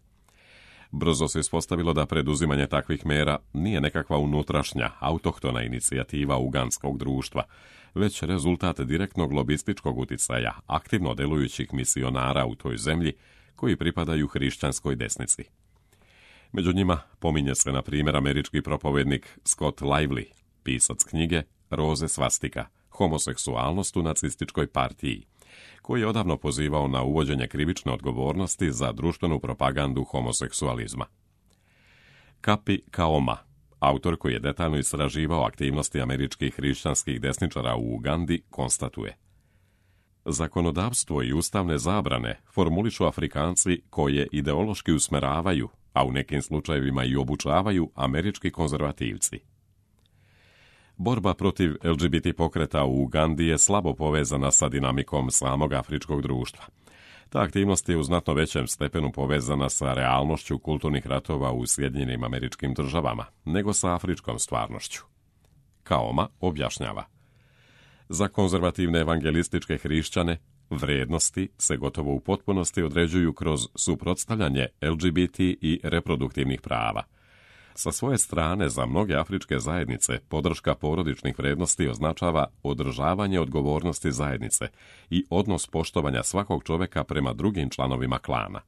Brzo se ispostavilo da preduzimanje takvih mera nije nekakva unutrašnja, autohtona inicijativa ugandskog društva, već rezultat direktnog lobističkog uticaja aktivno delujućih misionara u toj zemlji koji pripadaju hrišćanskoj desnici. Među njima pominje se na primjer američki propovednik Scott Lively, pisac knjige Roze svastika, homoseksualnost u nacističkoj partiji, koji je odavno pozivao na uvođenje krivične odgovornosti za društvenu propagandu homoseksualizma. Kapi Kaoma, autor koji je detaljno istraživao aktivnosti američkih hrišćanskih desničara u Ugandi, konstatuje: zakonodavstvo i ustavne zabrane formulišu Afrikanci koje ideološki usmeravaju, a u nekim slučajevima i obučavaju američki konzervativci. Borba protiv L G B T pokreta u Ugandi je slabo povezana sa dinamikom samog afričkog društva. Ta aktivnost je u znatno većem stepenu povezana sa realnošću kulturnih ratova u Sjedinjenim Američkim Državama, nego sa afričkom stvarnošću. Kaoma objašnjava: za konzervativne evangelističke hrišćane, vrijednosti se gotovo u potpunosti određuju kroz suprotstavljanje L G B T i reproduktivnih prava. Sa svoje strane, za mnoge afričke zajednice, podrška porodičnih vrijednosti označava održavanje odgovornosti zajednice i odnos poštovanja svakog čovjeka prema drugim članovima klana.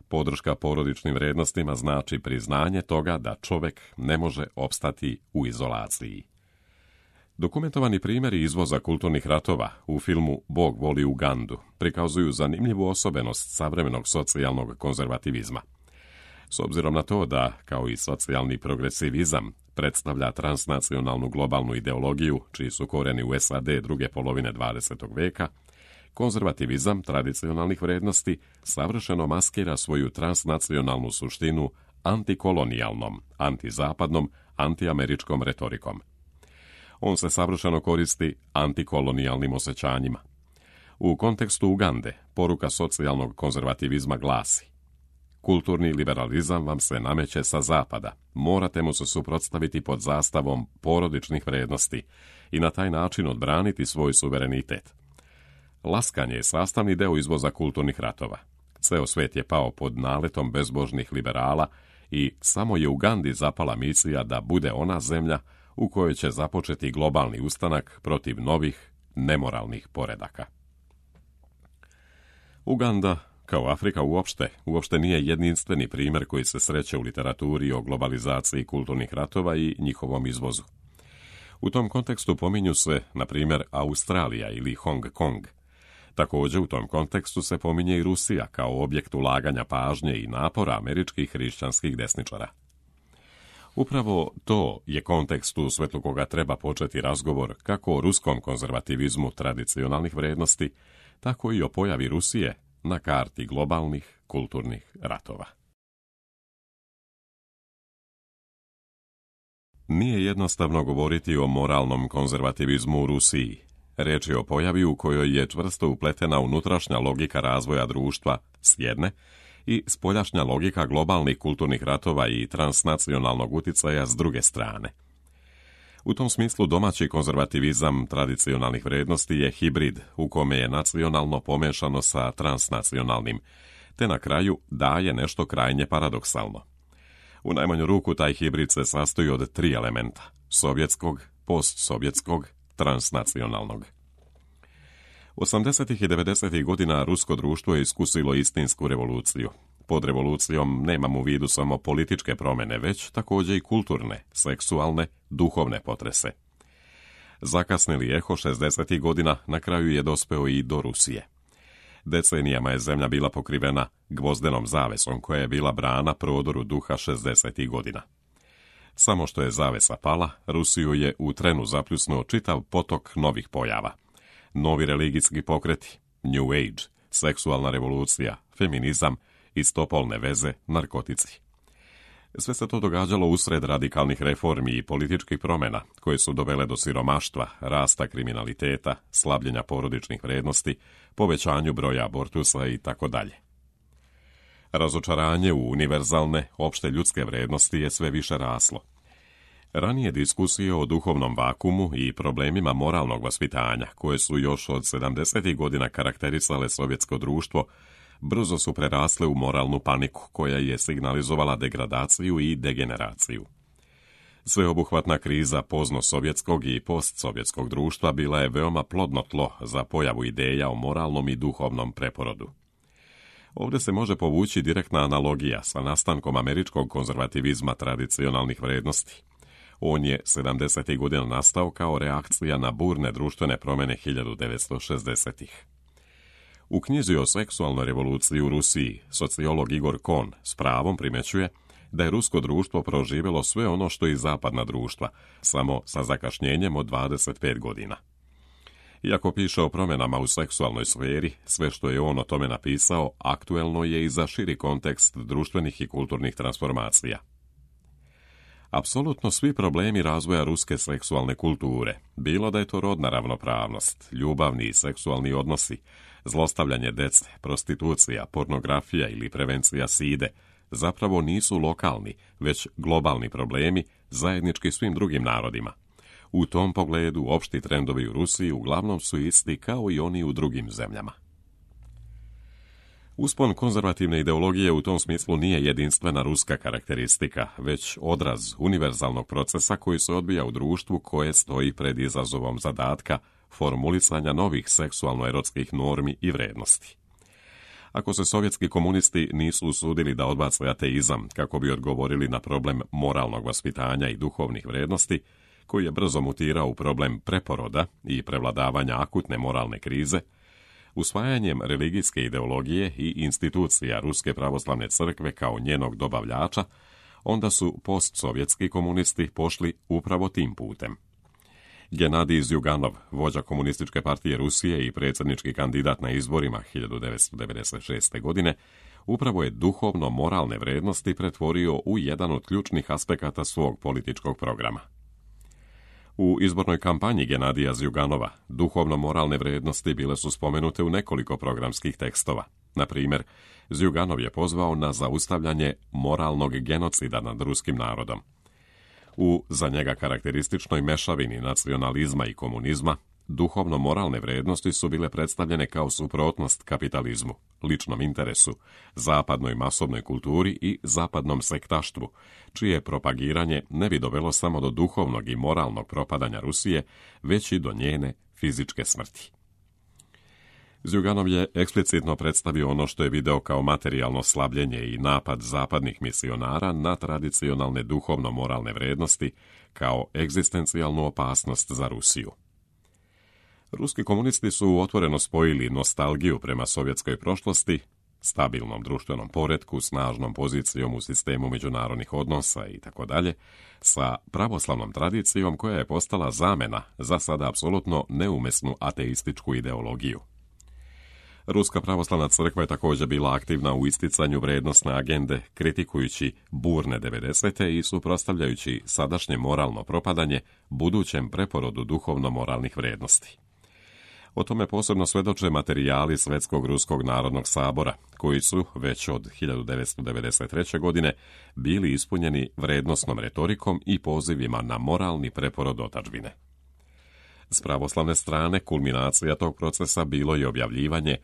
Podrška porodičnim vrijednostima znači priznanje toga da čovjek ne može opstati u izolaciji. Dokumentovani primjeri izvoza kulturnih ratova u filmu Bog voli Ugandu prikazuju zanimljivu osobenost savremenog socijalnog konzervativizma. S obzirom na to da, kao i socijalni progresivizam, predstavlja transnacionalnu globalnu ideologiju, čiji su korijeni u S A D druge polovine dvadesetog veka, konzervativizam tradicionalnih vrijednosti savršeno maskira svoju transnacionalnu suštinu antikolonijalnom, antizapadnom, antiameričkom retorikom. On se savršeno koristi antikolonijalnim osjećanjima. U kontekstu Ugande, poruka socijalnog konzervativizma glasi: kulturni liberalizam vam se nameće sa zapada, morate mu se suprotstaviti pod zastavom porodičnih vrijednosti i na taj način odbraniti svoj suverenitet. Laskanje je sastavni deo izvoza kulturnih ratova. Ceo svet je pao pod naletom bezbožnih liberala i samo je Ugandi zapala misija da bude ona zemlja u kojoj će započeti globalni ustanak protiv novih, nemoralnih poredaka. Uganda, kao Afrika uopšte, uopšte nije jedinstveni primjer koji se sreće u literaturi o globalizaciji kulturnih ratova i njihovom izvozu. U tom kontekstu pominju se, na primjer, Australija ili Hong Kong. Također u tom kontekstu se pominje i Rusija kao objekt ulaganja pažnje i napora američkih hrišćanskih desničara. Upravo to je kontekst u svetlu koga treba početi razgovor kako o ruskom konzervativizmu tradicionalnih vrijednosti, tako i o pojavi Rusije na karti globalnih kulturnih ratova. Nije jednostavno govoriti o moralnom konzervativizmu u Rusiji. Reč je o pojavi u kojoj je čvrsto upletena unutrašnja logika razvoja društva s jedne i spoljašnja logika globalnih kulturnih ratova i transnacionalnog uticaja s druge strane. U tom smislu domaći konzervativizam tradicionalnih vrijednosti je hibrid u kome je nacionalno pomešano sa transnacionalnim, te na kraju daje nešto krajnje paradoksalno. U najmanju ruku taj hibrid se sastoji od tri elementa: sovjetskog, postsovjetskog, transnacionalnog. osamdesetih i devedesetih godina rusko društvo je iskusilo istinsku revoluciju. Pod revolucijom nemam u vidu samo političke promjene, već također i kulturne, seksualne, duhovne potrese. Zakasnili eho šezdesetih godina na kraju je dospeo i do Rusije. Decenijama je zemlja bila pokrivena gvozdenom zavesom koja je bila brana prodoru duha šezdesetih godina. Samo što je zavesa pala, Rusiju je u trenu zapljusnuo čitav potok novih pojava. Novi religijski pokreti, New Age, seksualna revolucija, feminizam, istopolne veze, narkotici. Sve se to događalo usred radikalnih reformi i političkih promjena koje su dovele do siromaštva, rasta kriminaliteta, slabljenja porodičnih vrijednosti, povećanju broja abortusa i tako dalje. Razočaranje u univerzalne, opšte ljudske vrijednosti je sve više raslo. Ranije diskusije o duhovnom vakumu i problemima moralnog vaspitanja, koje su još od sedamdesetih godina karakterisale sovjetsko društvo, brzo su prerasle u moralnu paniku koja je signalizovala degradaciju i degeneraciju. Sveobuhvatna kriza pozno-sovjetskog i postsovjetskog društva bila je veoma plodno tlo za pojavu ideja o moralnom i duhovnom preporodu. Ovdje se može povući direktna analogija sa nastankom američkog konzervativizma tradicionalnih vrijednosti. On je sedamdesetih godina nastao kao reakcija na burne društvene promjene hiljadu devetsto šezdesetih. U knjizi o seksualnoj revoluciji u Rusiji sociolog Igor Kohn s pravom primjećuje da je rusko društvo proživjelo sve ono što i zapadna društva, samo sa zakašnjenjem od dvadeset pet godina. Iako piše o promjenama u seksualnoj sferi, sve što je on o tome napisao aktuelno je i za širi kontekst društvenih i kulturnih transformacija. Apsolutno svi problemi razvoja ruske seksualne kulture, bilo da je to rodna ravnopravnost, ljubavni i seksualni odnosi, zlostavljanje dece, prostitucija, pornografija ili prevencija side, zapravo nisu lokalni, već globalni problemi zajednički svim drugim narodima. U tom pogledu opšti trendovi u Rusiji uglavnom su isti kao i oni u drugim zemljama. Uspon konzervativne ideologije u tom smislu nije jedinstvena ruska karakteristika, već odraz univerzalnog procesa koji se odvija u društvu koje stoji pred izazovom zadatka formulisanja novih seksualno-erotskih normi i vrednosti. Ako se sovjetski komunisti nisu usudili da odbace ateizam kako bi odgovorili na problem moralnog vaspitanja i duhovnih vrednosti, koji je brzo mutirao u problem preporoda i prevladavanja akutne moralne krize, usvajanjem religijske ideologije i institucija Ruske pravoslavne crkve kao njenog dobavljača, onda su postsovjetski komunisti pošli upravo tim putem. Genadij Zjuganov, vođa komunističke partije Rusije i predsjednički kandidat na izborima hiljadu devetsto devedeset šeste. godine, upravo je duhovno-moralne vrednosti pretvorio u jedan od ključnih aspekata svog političkog programa. U izbornoj kampanji Genadija Zjuganova duhovno-moralne vrednosti bile su spomenute u nekoliko programskih tekstova. Na primjer, Zjuganov je pozvao na zaustavljanje moralnog genocida nad ruskim narodom. U za njega karakterističnoj mešavini nacionalizma i komunizma, duhovno-moralne vrednosti su bile predstavljene kao suprotnost kapitalizmu, ličnom interesu, zapadnoj masovnoj kulturi i zapadnom sektaštvu, čije propagiranje ne bi dovelo samo do duhovnog i moralnog propadanja Rusije, već i do njene fizičke smrti. Zjuganov je eksplicitno predstavio ono što je video kao materijalno slabljenje i napad zapadnih misionara na tradicionalne duhovno-moralne vrednosti kao egzistencijalnu opasnost za Rusiju. Ruski komunisti su otvoreno spojili nostalgiju prema sovjetskoj prošlosti, stabilnom društvenom poretku, snažnom pozicijom u sistemu međunarodnih odnosa itd., sa pravoslavnom tradicijom koja je postala zamena za sada apsolutno neumesnu ateističku ideologiju. Ruska pravoslavna crkva je također bila aktivna u isticanju vrijednosne agende, kritikujući burne devedesete i suprotstavljajući sadašnje moralno propadanje budućem preporodu duhovno-moralnih vrijednosti. O tome posebno svedoče materijali Svetskog ruskog narodnog sabora, koji su, već od hiljadu devetsto devedeset treće. godine, bili ispunjeni vrednosnom retorikom i pozivima na moralni preporod otadžbine. S pravoslavne strane, kulminacija tog procesa bilo je objavljivanje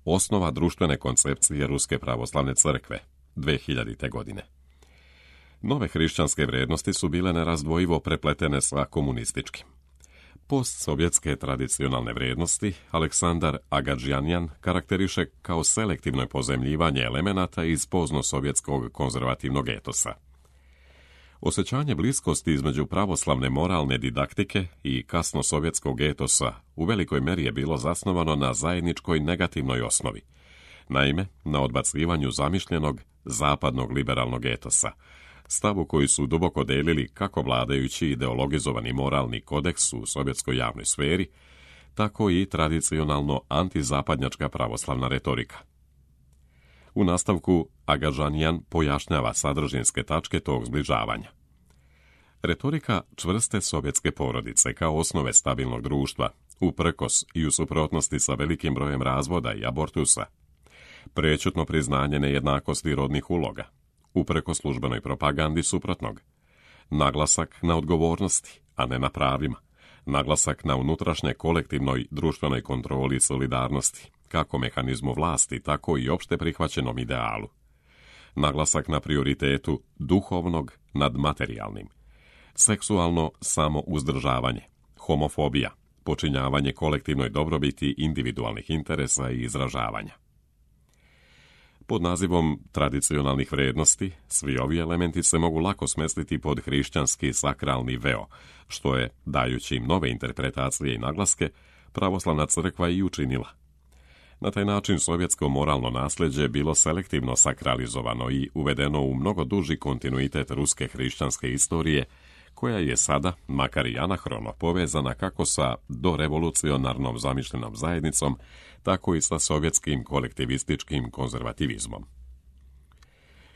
Osnova društvene koncepcije Ruske pravoslavne crkve dve hiljadite. godine. Nove hrišćanske vrijednosti su bile nerazdvojivo prepletene sa komunističkim. Postsovjetske tradicionalne vrijednosti Aleksandar Agadžanjan karakteriše kao selektivno pozemljivanje elemenata iz poznosovjetskog konzervativnog etosa. Osjećanje bliskosti između pravoslavne moralne didaktike i kasnosovjetskog etosa u velikoj meri je bilo zasnovano na zajedničkoj negativnoj osnovi. Naime, na odbacivanju zamišljenog zapadnog liberalnog etosa, stavu koji su duboko delili kako vladajući ideologizovani moralni kodeks u sovjetskoj javnoj sferi, tako i tradicionalno antizapadnjačka pravoslavna retorika. U nastavku Agadžanjan pojašnjava sadržinske tačke tog zbližavanja. Retorika čvrste sovjetske porodice kao osnove stabilnog društva, uprkos i u suprotnosti sa velikim brojem razvoda i abortusa, prečutno priznanje nejednakosti rodnih uloga, uprkos službenoj propagandi suprotnog, naglasak na odgovornosti, a ne na pravima, naglasak na unutrašnje kolektivnoj društvenoj kontroli i solidarnosti, kako mehanizmu vlasti, tako i opšte prihvaćenom idealu. Naglasak na prioritetu duhovnog nad materijalnim, seksualno samouzdržavanje, homofobija, počinjavanje kolektivnoj dobrobiti individualnih interesa i izražavanja. Pod nazivom tradicionalnih vrijednosti, svi ovi elementi se mogu lako smestiti pod hrišćanski sakralni veo, što je, dajući im nove interpretacije i naglaske, pravoslavna crkva i učinila. Na taj način sovjetsko moralno nasljeđe bilo selektivno sakralizovano i uvedeno u mnogo duži kontinuitet ruske hrišćanske istorije, koja je sada, makar i anahrono, povezana kako sa dorevolucionarnom zamišljenom zajednicom, tako i sa sovjetskim kolektivističkim konzervativizmom.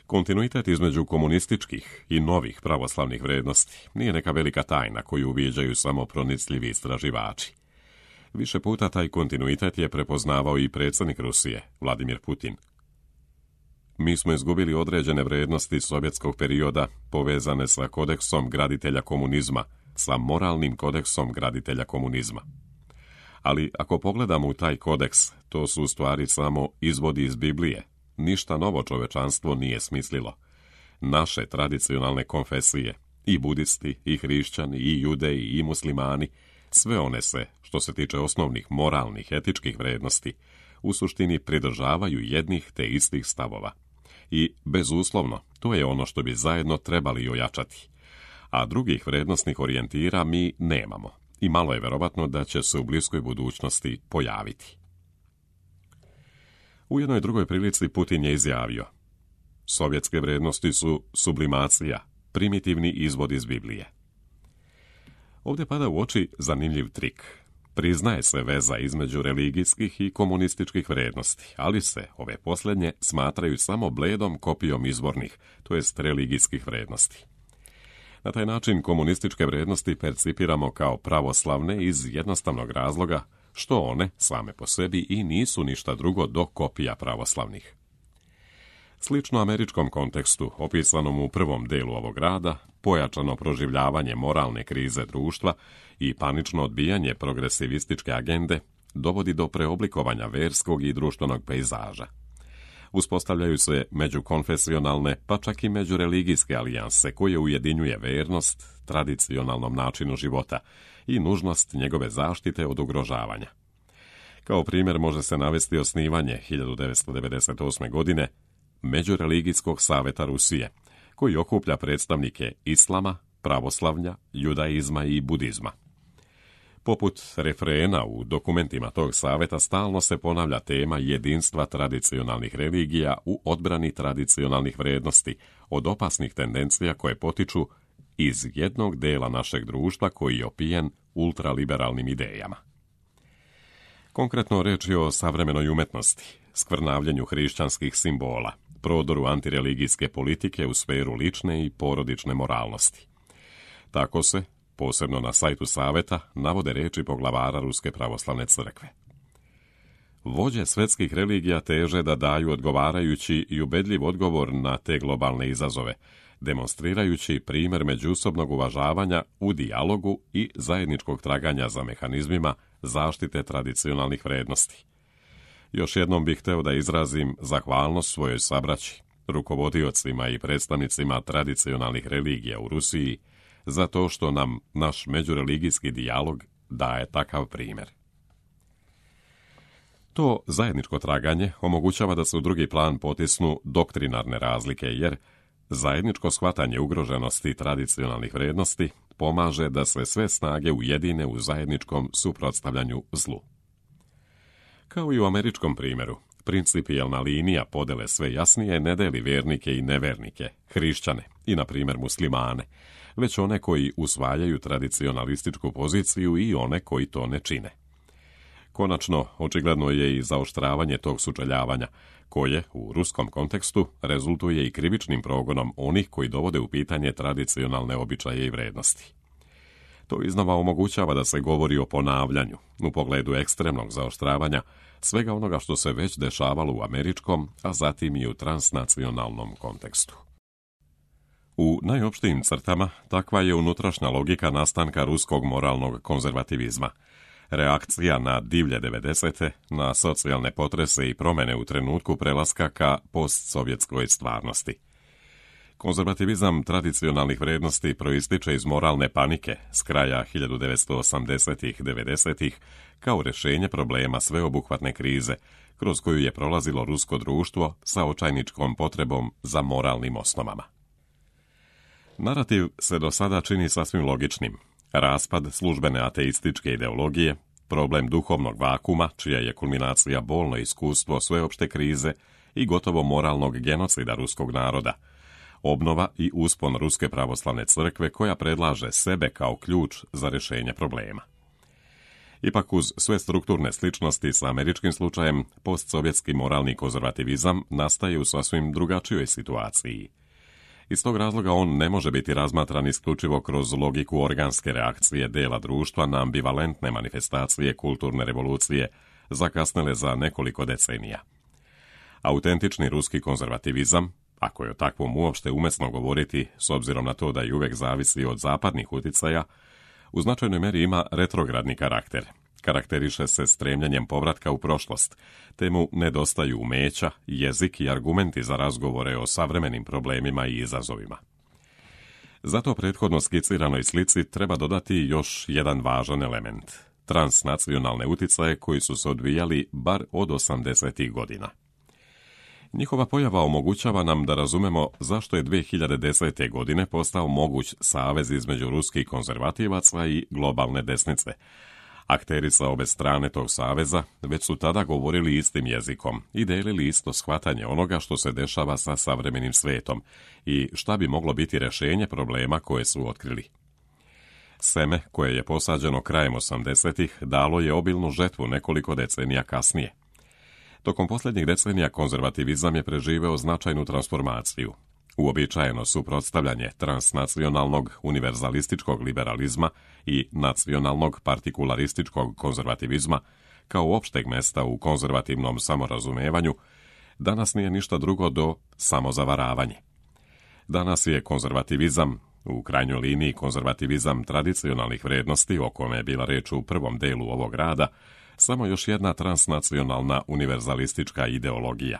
Kontinuitet između komunističkih i novih pravoslavnih vrijednosti nije neka velika tajna koju uviđaju samo pronicljivi istraživači. Više puta taj kontinuitet je prepoznavao i predsjednik Rusije, Vladimir Putin. Mi smo izgubili određene vrijednosti sovjetskog perioda povezane sa kodeksom graditelja komunizma, sa moralnim kodeksom graditelja komunizma. Ali ako pogledamo u taj kodeks, to su u stvari samo izvodi iz Biblije. Ništa novo čovečanstvo nije smislilo. Naše tradicionalne konfesije, i budisti, i hrišćani, i judeji, i muslimani, sve one se, što se tiče osnovnih moralnih, etičkih vrijednosti, u suštini pridržavaju jednih te istih stavova. I, bezuslovno, to je ono što bi zajedno trebali ojačati. A drugih vrijednosnih orijentira mi nemamo. I malo je verovatno da će se u bliskoj budućnosti pojaviti. U jednoj drugoj prilici Putin je izjavio: sovjetske vrijednosti su sublimacija, primitivni izvod iz Biblije. Ovdje pada u oči zanimljiv trik. Priznaje se veza između religijskih i komunističkih vrijednosti, ali se ove posljednje smatraju samo bledom kopijom izvornih, to jest religijskih vrijednosti. Na taj način komunističke vrijednosti percipiramo kao pravoslavne iz jednostavnog razloga što one, same po sebi, i nisu ništa drugo do kopija pravoslavnih. Slično američkom kontekstu, opisanom u prvom delu ovog rada, pojačano proživljavanje moralne krize društva i panično odbijanje progresivističke agende dovodi do preoblikovanja verskog i društvenog pejzaža. Uspostavljaju se međukonfesionalne, pa čak i međureligijske alijanse koje ujedinjuje vernost tradicionalnom načinu života i nužnost njegove zaštite od ugrožavanja. Kao primjer može se navesti osnivanje hiljadu devetsto devedeset osme. godine Međureligijskog saveta Rusije, koji okuplja predstavnike islama, pravoslavlja, judaizma i budizma. Poput refrena u dokumentima tog saveta stalno se ponavlja tema jedinstva tradicionalnih religija u odbrani tradicionalnih vrijednosti od opasnih tendencija koje potiču iz jednog dela našeg društva koji je opijen ultraliberalnim idejama. Konkretno reč je o savremenoj umetnosti, skvrnavljenju hrišćanskih simbola, prodoru antireligijske politike u sferu lične i porodične moralnosti. Tako se, posebno na sajtu saveta, navode reči poglavara Ruske pravoslavne crkve. Vođe svjetskih religija teže da daju odgovarajući i ubedljiv odgovor na te globalne izazove, demonstrirajući primjer međusobnog uvažavanja u dijalogu i zajedničkog traganja za mehanizmima zaštite tradicionalnih vrijednosti. Još jednom bih hteo da izrazim zahvalnost svojoj sabraći, rukovodiocima i predstavnicima tradicionalnih religija u Rusiji, za to što nam naš međureligijski dijalog daje takav primjer. To zajedničko traganje omogućava da se u drugi plan potisnu doktrinarne razlike, jer zajedničko shvatanje ugroženosti tradicionalnih vrijednosti pomaže da se sve snage ujedine u zajedničkom suprotstavljanju zlu. Kao i u američkom primjeru, principijelna linija podele sve jasnije ne deli vjernike i nevernike, hrišćane i, na primjer, muslimane, već one koji usvajaju tradicionalističku poziciju i one koji to ne čine. Konačno, očigledno je i zaoštravanje tog sučeljavanja, koje, u ruskom kontekstu, rezultuje i krivičnim progonom onih koji dovode u pitanje tradicionalne običaje i vrednosti. To iznova omogućava da se govori o ponavljanju, u pogledu ekstremnog zaoštravanja, svega onoga što se već dešavalo u američkom, a zatim i u transnacionalnom kontekstu. U najopštijim crtama takva je unutrašnja logika nastanka ruskog moralnog konzervativizma, reakcija na divlje devedesete, na socijalne potrese i promjene u trenutku prelaska ka postsovjetskoj stvarnosti. Konzervativizam tradicionalnih vrijednosti proističe iz moralne panike s kraja hiljadu devetsto osamdesetih devedesetih kao rješenje problema sveobuhvatne krize, kroz koju je prolazilo rusko društvo sa očajničkom potrebom za moralnim osnovama. Narativ se do sada čini sasvim logičnim. Raspad službene ateističke ideologije, problem duhovnog vakuma, čija je kulminacija bolno iskustvo sveopšte krize i gotovo moralnog genocida ruskog naroda, obnova i uspon Ruske pravoslavne crkve koja predlaže sebe kao ključ za rješenje problema. Ipak uz sve strukturne sličnosti sa američkim slučajem, postsovjetski moralni konzervativizam nastaje u sasvim drugačijoj situaciji. Iz tog razloga on ne može biti razmatran isključivo kroz logiku organske reakcije dela društva na ambivalentne manifestacije kulturne revolucije, zakasnele za nekoliko decenija. Autentični ruski konzervativizam, ako je o takvom uopšte umesno govoriti, s obzirom na to da i uvek zavisi od zapadnih uticaja, u značajnoj meri ima retrogradni karakter. Karakteriše se stremljenjem povratka u prošlost, te mu nedostaju umeća, jezik i argumenti za razgovore o savremenim problemima i izazovima. Zato prethodno skiciranoj slici treba dodati još jedan važan element – transnacionalne uticaje koji su se odvijali bar od osamdesetih godina. Njihova pojava omogućava nam da razumemo zašto je dve hiljade desete. godine postao moguć savez između ruskih konzervativaca i globalne desnice. Akteri sa obe strane tog saveza već su tada govorili istim jezikom i delili isto shvatanje onoga što se dešava sa savremenim svetom i šta bi moglo biti rješenje problema koje su otkrili. Seme, koje je posađeno krajem osamdesetih, dalo je obilnu žetvu nekoliko decenija kasnije. Tokom posljednjih decenija konzervativizam je preživeo značajnu transformaciju. Uobičajeno suprotstavljanje transnacionalnog univerzalističkog liberalizma i nacionalnog partikularističkog konzervativizma kao opšteg mesta u konzervativnom samorazumevanju danas nije ništa drugo do samozavaravanje. Danas je konzervativizam, u krajnjoj liniji konzervativizam tradicionalnih vrijednosti, o kome je bila reč u prvom delu ovog rada, samo još jedna transnacionalna univerzalistička ideologija.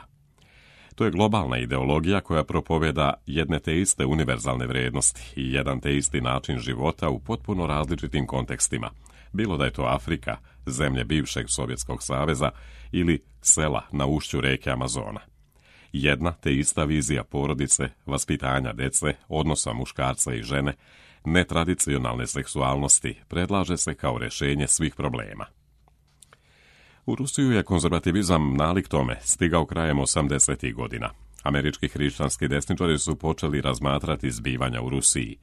To je globalna ideologija koja propoveda jedne te iste univerzalne vrijednosti i jedan te isti način života u potpuno različitim kontekstima, bilo da je to Afrika, zemlje bivšeg Sovjetskog saveza ili sela na ušću reke Amazona. Jedna te ista vizija porodice, vaspitanja dece, odnosa muškarca i žene, netradicionalne seksualnosti predlaže se kao rješenje svih problema. U Rusiju je konzervativizam nalik tome stigao krajem osamdesetih godina. Američki hrišćanski desničari su počeli razmatrati zbivanja u Rusiji,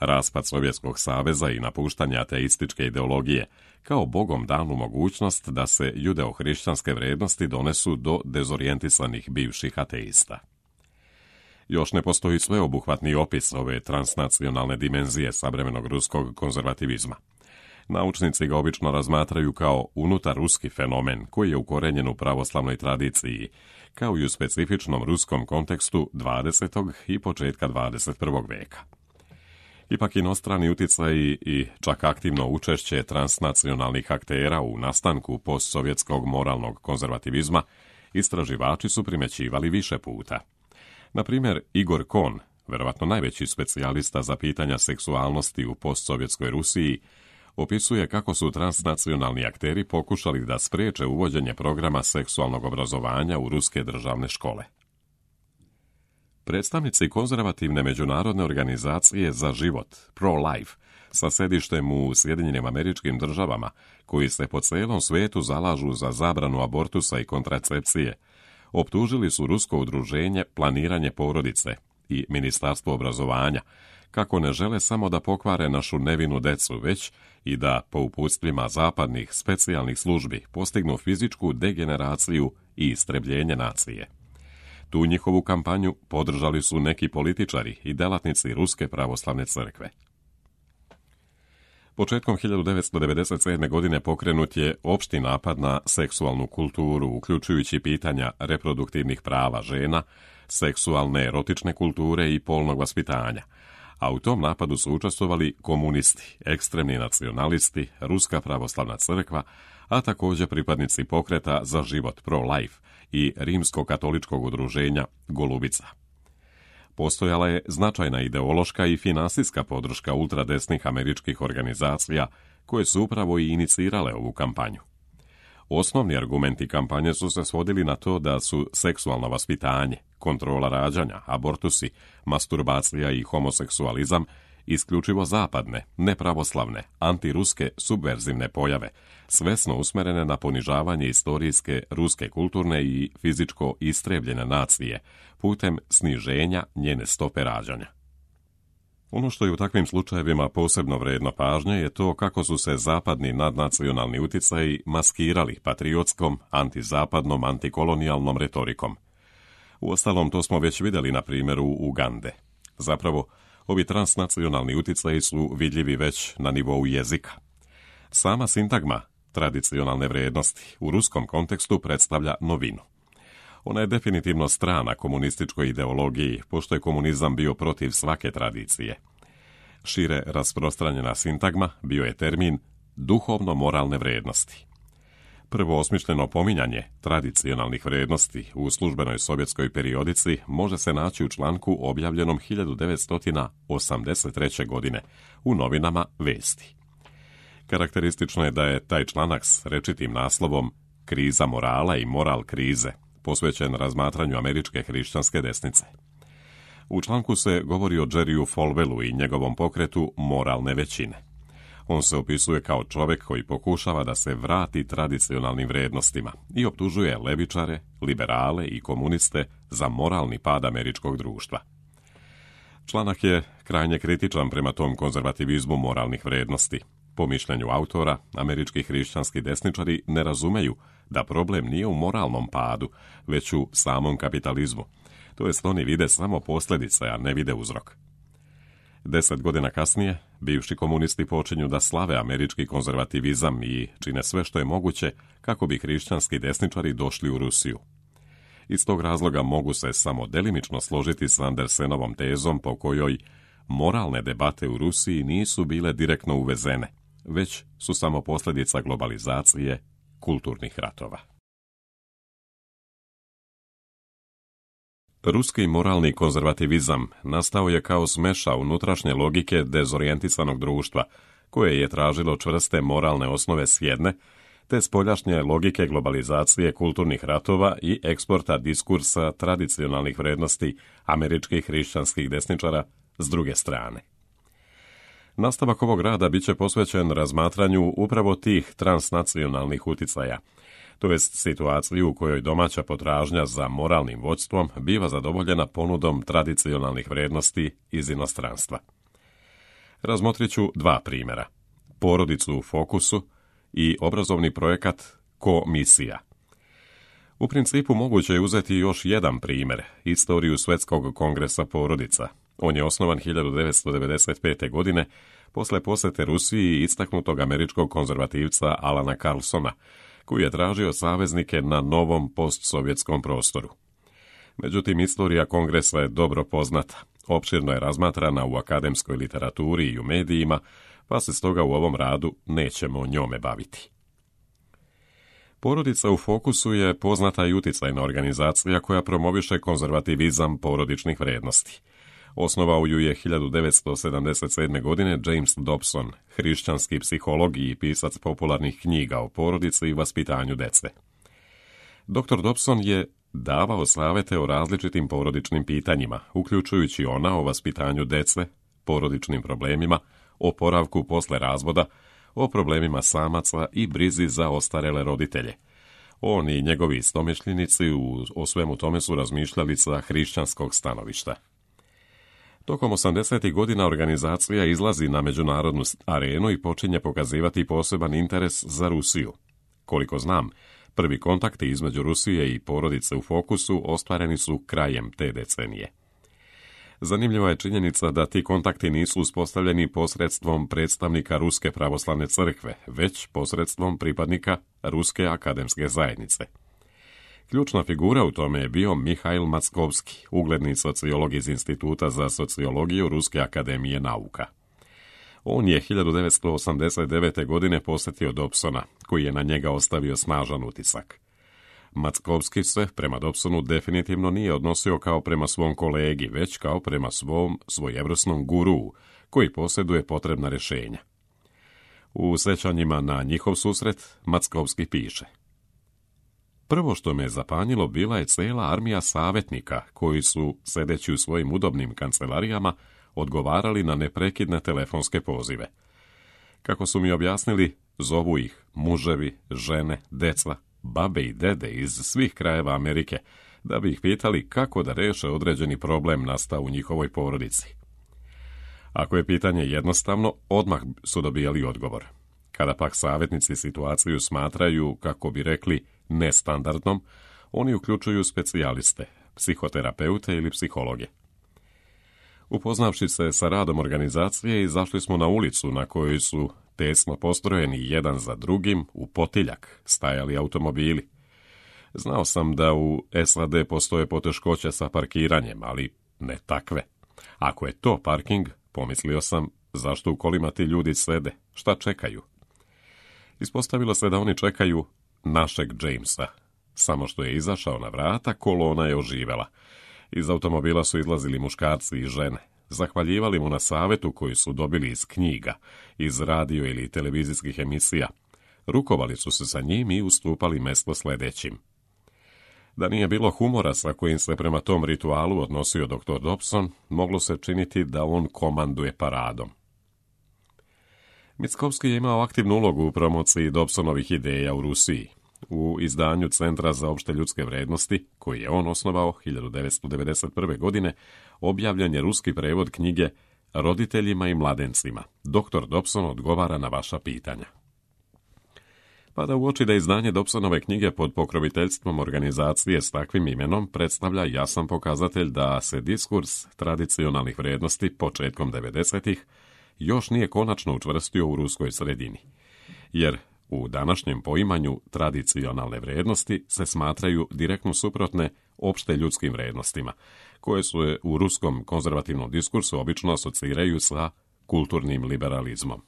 raspad Sovjetskog saveza i napuštanje ateističke ideologije, kao bogom danu mogućnost da se judeo-hrišćanske vrijednosti donesu do dezorijentisanih bivših ateista. Još ne postoji sveobuhvatni opis ove transnacionalne dimenzije savremenog ruskog konzervativizma. Naučnici ga obično razmatraju kao unutar ruski fenomen koji je ukorenjen u pravoslavnoj tradiciji, kao i u specifičnom ruskom kontekstu dvadesetog i početka dvadeset prvog veka. Ipak inostrani utjecaji i čak aktivno učešće transnacionalnih aktera u nastanku postsovjetskog moralnog konzervativizma istraživači su primjećivali više puta. Na primjer, Igor Kohn, vjerovatno najveći specijalista za pitanja seksualnosti u postsovjetskoj Rusiji, opisuje kako su transnacionalni akteri pokušali da spriječe uvođenje programa seksualnog obrazovanja u ruske državne škole. Predstavnici konzervativne međunarodne organizacije za život, Pro-Life, sa sedištem u Sjedinjenim Američkim Državama, koji se po cijelom svijetu zalažu za zabranu abortusa i kontracepcije, optužili su rusko udruženje Planiranje porodice i Ministarstvo obrazovanja, kako ne žele samo da pokvare našu nevinu decu, već i da po uputstvima zapadnih specijalnih službi postignu fizičku degeneraciju i istrebljenje nacije. Tu njihovu kampanju podržali su neki političari i delatnici Ruske pravoslavne crkve. Početkom hiljadu devetsto devedeset sedme. godine pokrenut je opšti napad na seksualnu kulturu, uključujući pitanja reproduktivnih prava žena, seksualne erotične kulture i polnog vaspitanja, a u tom napadu su učestvovali komunisti, ekstremni nacionalisti, Ruska pravoslavna crkva, a također pripadnici pokreta za život Pro-Life i rimsko-katoličkog udruženja Golubica. Postojala je značajna ideološka i finansijska podrška ultradesnih američkih organizacija koje su upravo i inicirale ovu kampanju. Osnovni argumenti kampanje su se svodili na to da su seksualno vaspitanje, kontrola rađanja, abortusi, masturbacija i homoseksualizam isključivo zapadne, nepravoslavne, antiruske, subverzivne pojave, svesno usmerene na ponižavanje istorijske, ruske kulturne i fizičko istrebljene nacije, putem sniženja njene stope rađanja. Ono što je u takvim slučajevima posebno vredno pažnje je to kako su se zapadni nadnacionalni utjecaji maskirali patriotskom, antizapadnom, antikolonijalnom retorikom. Uostalom, to smo već vidjeli na primjeru Ugande. Zapravo, ovi transnacionalni utjecaji su vidljivi već na nivou jezika. Sama sintagma tradicionalne vrijednosti u ruskom kontekstu predstavlja novinu. Ona je definitivno strana komunističkoj ideologiji, pošto je komunizam bio protiv svake tradicije. Šire rasprostranjena sintagma bio je termin duhovno-moralne vrijednosti. Prvo osmišljeno pominjanje tradicionalnih vrijednosti u službenoj sovjetskoj periodici može se naći u članku objavljenom hiljadu devetsto osamdeset treće. godine u novinama Vesti. Karakteristično je da je taj članak s rečitim naslovom Kriza morala i moral krize posvećen razmatranju američke hrišćanske desnice. U članku se govori o Jerryu Falwellu i njegovom pokretu moralne većine. On se opisuje kao čovjek koji pokušava da se vrati tradicionalnim vrijednostima i optužuje levičare, liberale i komuniste za moralni pad američkog društva. Članak je krajnje kritičan prema tom konzervativizmu moralnih vrijednosti. Po mišljenju autora, američki hrišćanski desničari ne razumeju da problem nije u moralnom padu, već u samom kapitalizmu. To jest oni vide samo posljedice, a ne vide uzrok. Deset godina kasnije, bivši komunisti počinju da slave američki konzervativizam i čine sve što je moguće kako bi hrišćanski desničari došli u Rusiju. Iz tog razloga mogu se samo delimično složiti s Andersenovom tezom po kojoj moralne debate u Rusiji nisu bile direktno uvezene, već su samo posljedica globalizacije kulturnih ratova. Ruski moralni konzervativizam nastao je kao smeša unutrašnje logike dezorijentisanog društva, koje je tražilo čvrste moralne osnove s jedne, te spoljašnje logike globalizacije kulturnih ratova i eksporta diskursa tradicionalnih vrijednosti američkih hrišćanskih desničara s druge strane. Nastavak ovog rada bit će posvećen razmatranju upravo tih transnacionalnih uticaja, to jest situaciju u kojoj domaća potražnja za moralnim vodstvom biva zadovoljena ponudom tradicionalnih vrijednosti iz inostranstva. Razmotrit ću dva primjera, porodicu u fokusu i obrazovni projekat Ko-misija. U principu moguće je uzeti još jedan primjer, istoriju Svjetskog kongresa porodica. On je osnovan hiljadu devetsto devedeset pete. godine posle posete Rusiji istaknutog američkog konzervativca Alana Carlsona, koji je tražio saveznike na novom postsovjetskom prostoru. Međutim, istorija kongresa je dobro poznata, opširno je razmatrana u akademskoj literaturi i u medijima, pa se stoga u ovom radu nećemo o njome baviti. Porodica u fokusu je poznata i uticajna organizacija koja promoviše konzervativizam porodičnih vrednosti. Osnovao ju je hiljadu devetsto sedamdeset sedme. godine James Dobson, hrišćanski psiholog i pisac popularnih knjiga o porodici i vaspitanju dece. doktor Dobson je davao savete o različitim porodičnim pitanjima, uključujući ona o vaspitanju dece, porodičnim problemima, oporavku posle razvoda, o problemima samaca i brizi za ostarele roditelje. On i njegovi istomišljenici u, o svemu tome su razmišljali sa hrišćanskog stanovišta. Tokom osamdesetih godina organizacija izlazi na međunarodnu arenu i počinje pokazivati poseban interes za Rusiju. Koliko znam, prvi kontakti između Rusije i porodice u fokusu ostvareni su krajem te decenije. Zanimljiva je činjenica da ti kontakti nisu uspostavljeni posredstvom predstavnika Ruske pravoslavne crkve, već posredstvom pripadnika Ruske akademske zajednice. Ključna figura u tome je bio Mihail Mackovski, ugledni sociolog iz Instituta za sociologiju Ruske akademije nauka. On je hiljadu devetsto osamdeset devete. godine posjetio Dobsona, koji je na njega ostavio snažan utisak. Mackovski se prema Dobsonu definitivno nije odnosio kao prema svom kolegi, već kao prema svom svojevrsnom guruu, koji posjeduje potrebna rješenja. U sećanjima na njihov susret, Mackovski piše: Prvo što me zapanjilo bila je cela armija savjetnika koji su, sedeći u svojim udobnim kancelarijama, odgovarali na neprekidne telefonske pozive. Kako su mi objasnili, zovu ih muževi, žene, deca, babe i dede iz svih krajeva Amerike, da bi ih pitali kako da reše određeni problem nastao u njihovoj porodici. Ako je pitanje jednostavno, odmah su dobijali odgovor. Kada pak savjetnici situaciju smatraju, kako bi rekli, nestandardnom, oni uključuju specijaliste, psihoterapeute ili psihologe. Upoznavši se sa radom organizacije, izašli smo na ulicu na kojoj su tesno postrojeni jedan za drugim u potiljak stajali automobili. Znao sam da u S A D postoje poteškoće sa parkiranjem, ali ne takve. Ako je to parking, pomislio sam, zašto u kolima ti ljudi sede, šta čekaju? Ispostavilo se da oni čekaju našeg Jamesa. Samo što je izašao na vrata, kolona je oživela. Iz automobila su izlazili muškarci i žene. Zahvaljivali mu na savetu koji su dobili iz knjiga, iz radio ili televizijskih emisija. Rukovali su se sa njim i ustupali mesto sledećim. Da nije bilo humora sa kojim se prema tom ritualu odnosio doktor Dobson, moglo se činiti da on komanduje paradom. Mackovski je imao aktivnu ulogu u promociji Dobsonovih ideja u Rusiji. U izdanju Centra za opšte ljudske vrednosti, koji je on osnovao hiljadu devetsto devedeset prve. godine, objavljen je ruski prevod knjige Roditeljima i mladencima. doktor Dobson odgovara na vaša pitanja. Pada u oči da izdanje Dobsonove knjige pod pokroviteljstvom organizacije s takvim imenom predstavlja jasan pokazatelj da se diskurs tradicionalnih vrednosti početkom devedesetih još nije konačno učvrstio u ruskoj sredini, jer u današnjem poimanju tradicionalne vrednosti se smatraju direktno suprotne opšte ljudskim vrednostima, koje su u ruskom konzervativnom diskursu obično asociraju sa kulturnim liberalizmom.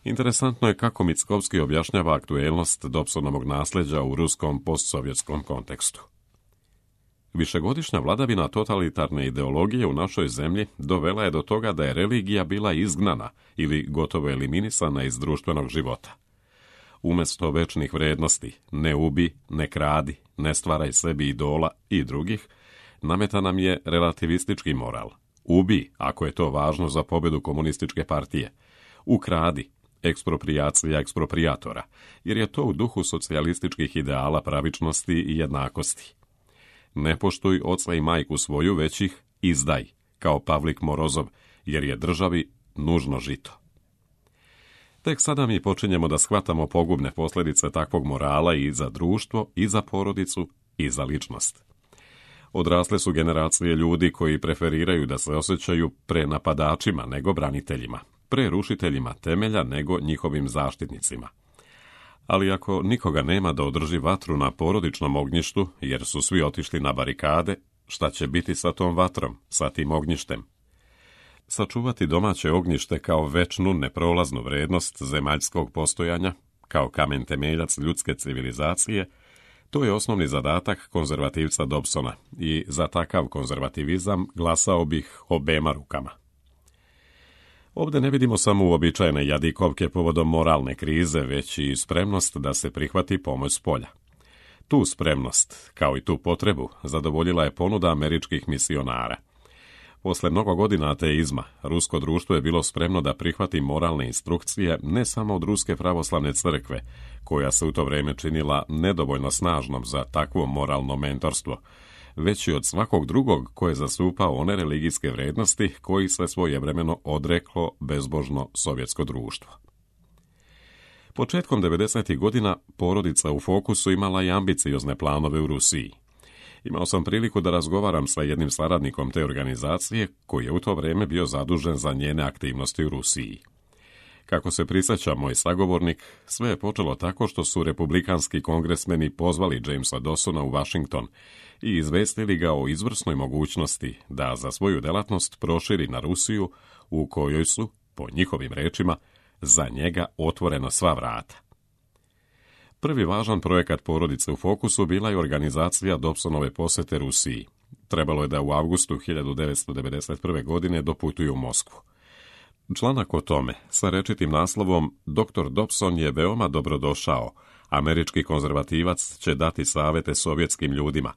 Interesantno je kako Mackovski objašnjava aktuelnost Dobsonovog nasljeđa u ruskom postsovjetskom kontekstu. Višegodišnja vladavina totalitarne ideologije u našoj zemlji dovela je do toga da je religija bila izgnana ili gotovo eliminisana iz društvenog života. Umjesto večnih vrednosti, ne ubi, ne kradi, ne stvaraj sebi idola i drugih, nameta nam je relativistički moral. Ubi, ako je to važno za pobjedu komunističke partije. Ukradi, eksproprijacija eksproprijatora, jer je to u duhu socijalističkih ideala pravičnosti i jednakosti. Ne poštuj oca i majku svoju, već ih izdaj, kao Pavlik Morozov, jer je državi nužno žito. Tek sada mi počinjemo da shvatamo pogubne posljedice takvog morala i za društvo, i za porodicu, i za ličnost. Odrasle su generacije ljudi koji preferiraju da se osjećaju pre napadačima nego braniteljima. pre rušiteljima temelja nego njihovim zaštitnicima. Ali ako nikoga nema da održi vatru na porodičnom ognjištu, jer su svi otišli na barikade, šta će biti sa tom vatrom, sa tim ognjištem? Sačuvati domaće ognjište kao večnu, neprolaznu vrednost zemaljskog postojanja, kao kamen temeljac ljudske civilizacije, to je osnovni zadatak konzervativca Dobsona i za takav konzervativizam glasao bih obema rukama. Ovdje ne vidimo samo uobičajene jadikovke povodom moralne krize, već i spremnost da se prihvati pomoć s polja. Tu spremnost, kao i tu potrebu, zadovoljila je ponuda američkih misionara. Posle mnogo godina ateizma, rusko društvo je bilo spremno da prihvati moralne instrukcije ne samo od Ruske pravoslavne crkve, koja se u to vrijeme činila nedovoljno snažnom za takvo moralno mentorstvo, već i od svakog drugog koje je zastupao one religijske vrijednosti koji se svojevremeno odreklo bezbožno sovjetsko društvo. Početkom devedesetih godina porodica u fokusu imala i ambiciozne planove u Rusiji. Imao sam priliku da razgovaram sa jednim saradnikom te organizacije koji je u to vrijeme bio zadužen za njene aktivnosti u Rusiji. Kako se prisjeća moj sagovornik, sve je počelo tako što su republikanski kongresmeni pozvali Jamesa Dawsona u Washington i izvestili ga o izvrsnoj mogućnosti da za svoju delatnost proširi na Rusiju, u kojoj su, po njihovim rečima, za njega otvorena sva vrata. Prvi važan projekat porodice u fokusu bila je organizacija Dobsonove posete Rusiji. Trebalo je da u avgustu hiljadu devetsto devedeset prve. godine doputuju u Moskvu. Članak o tome, sa rečitim naslovom doktor Dobson je veoma dobrodošao, američki konzervativac će dati savete sovjetskim ljudima,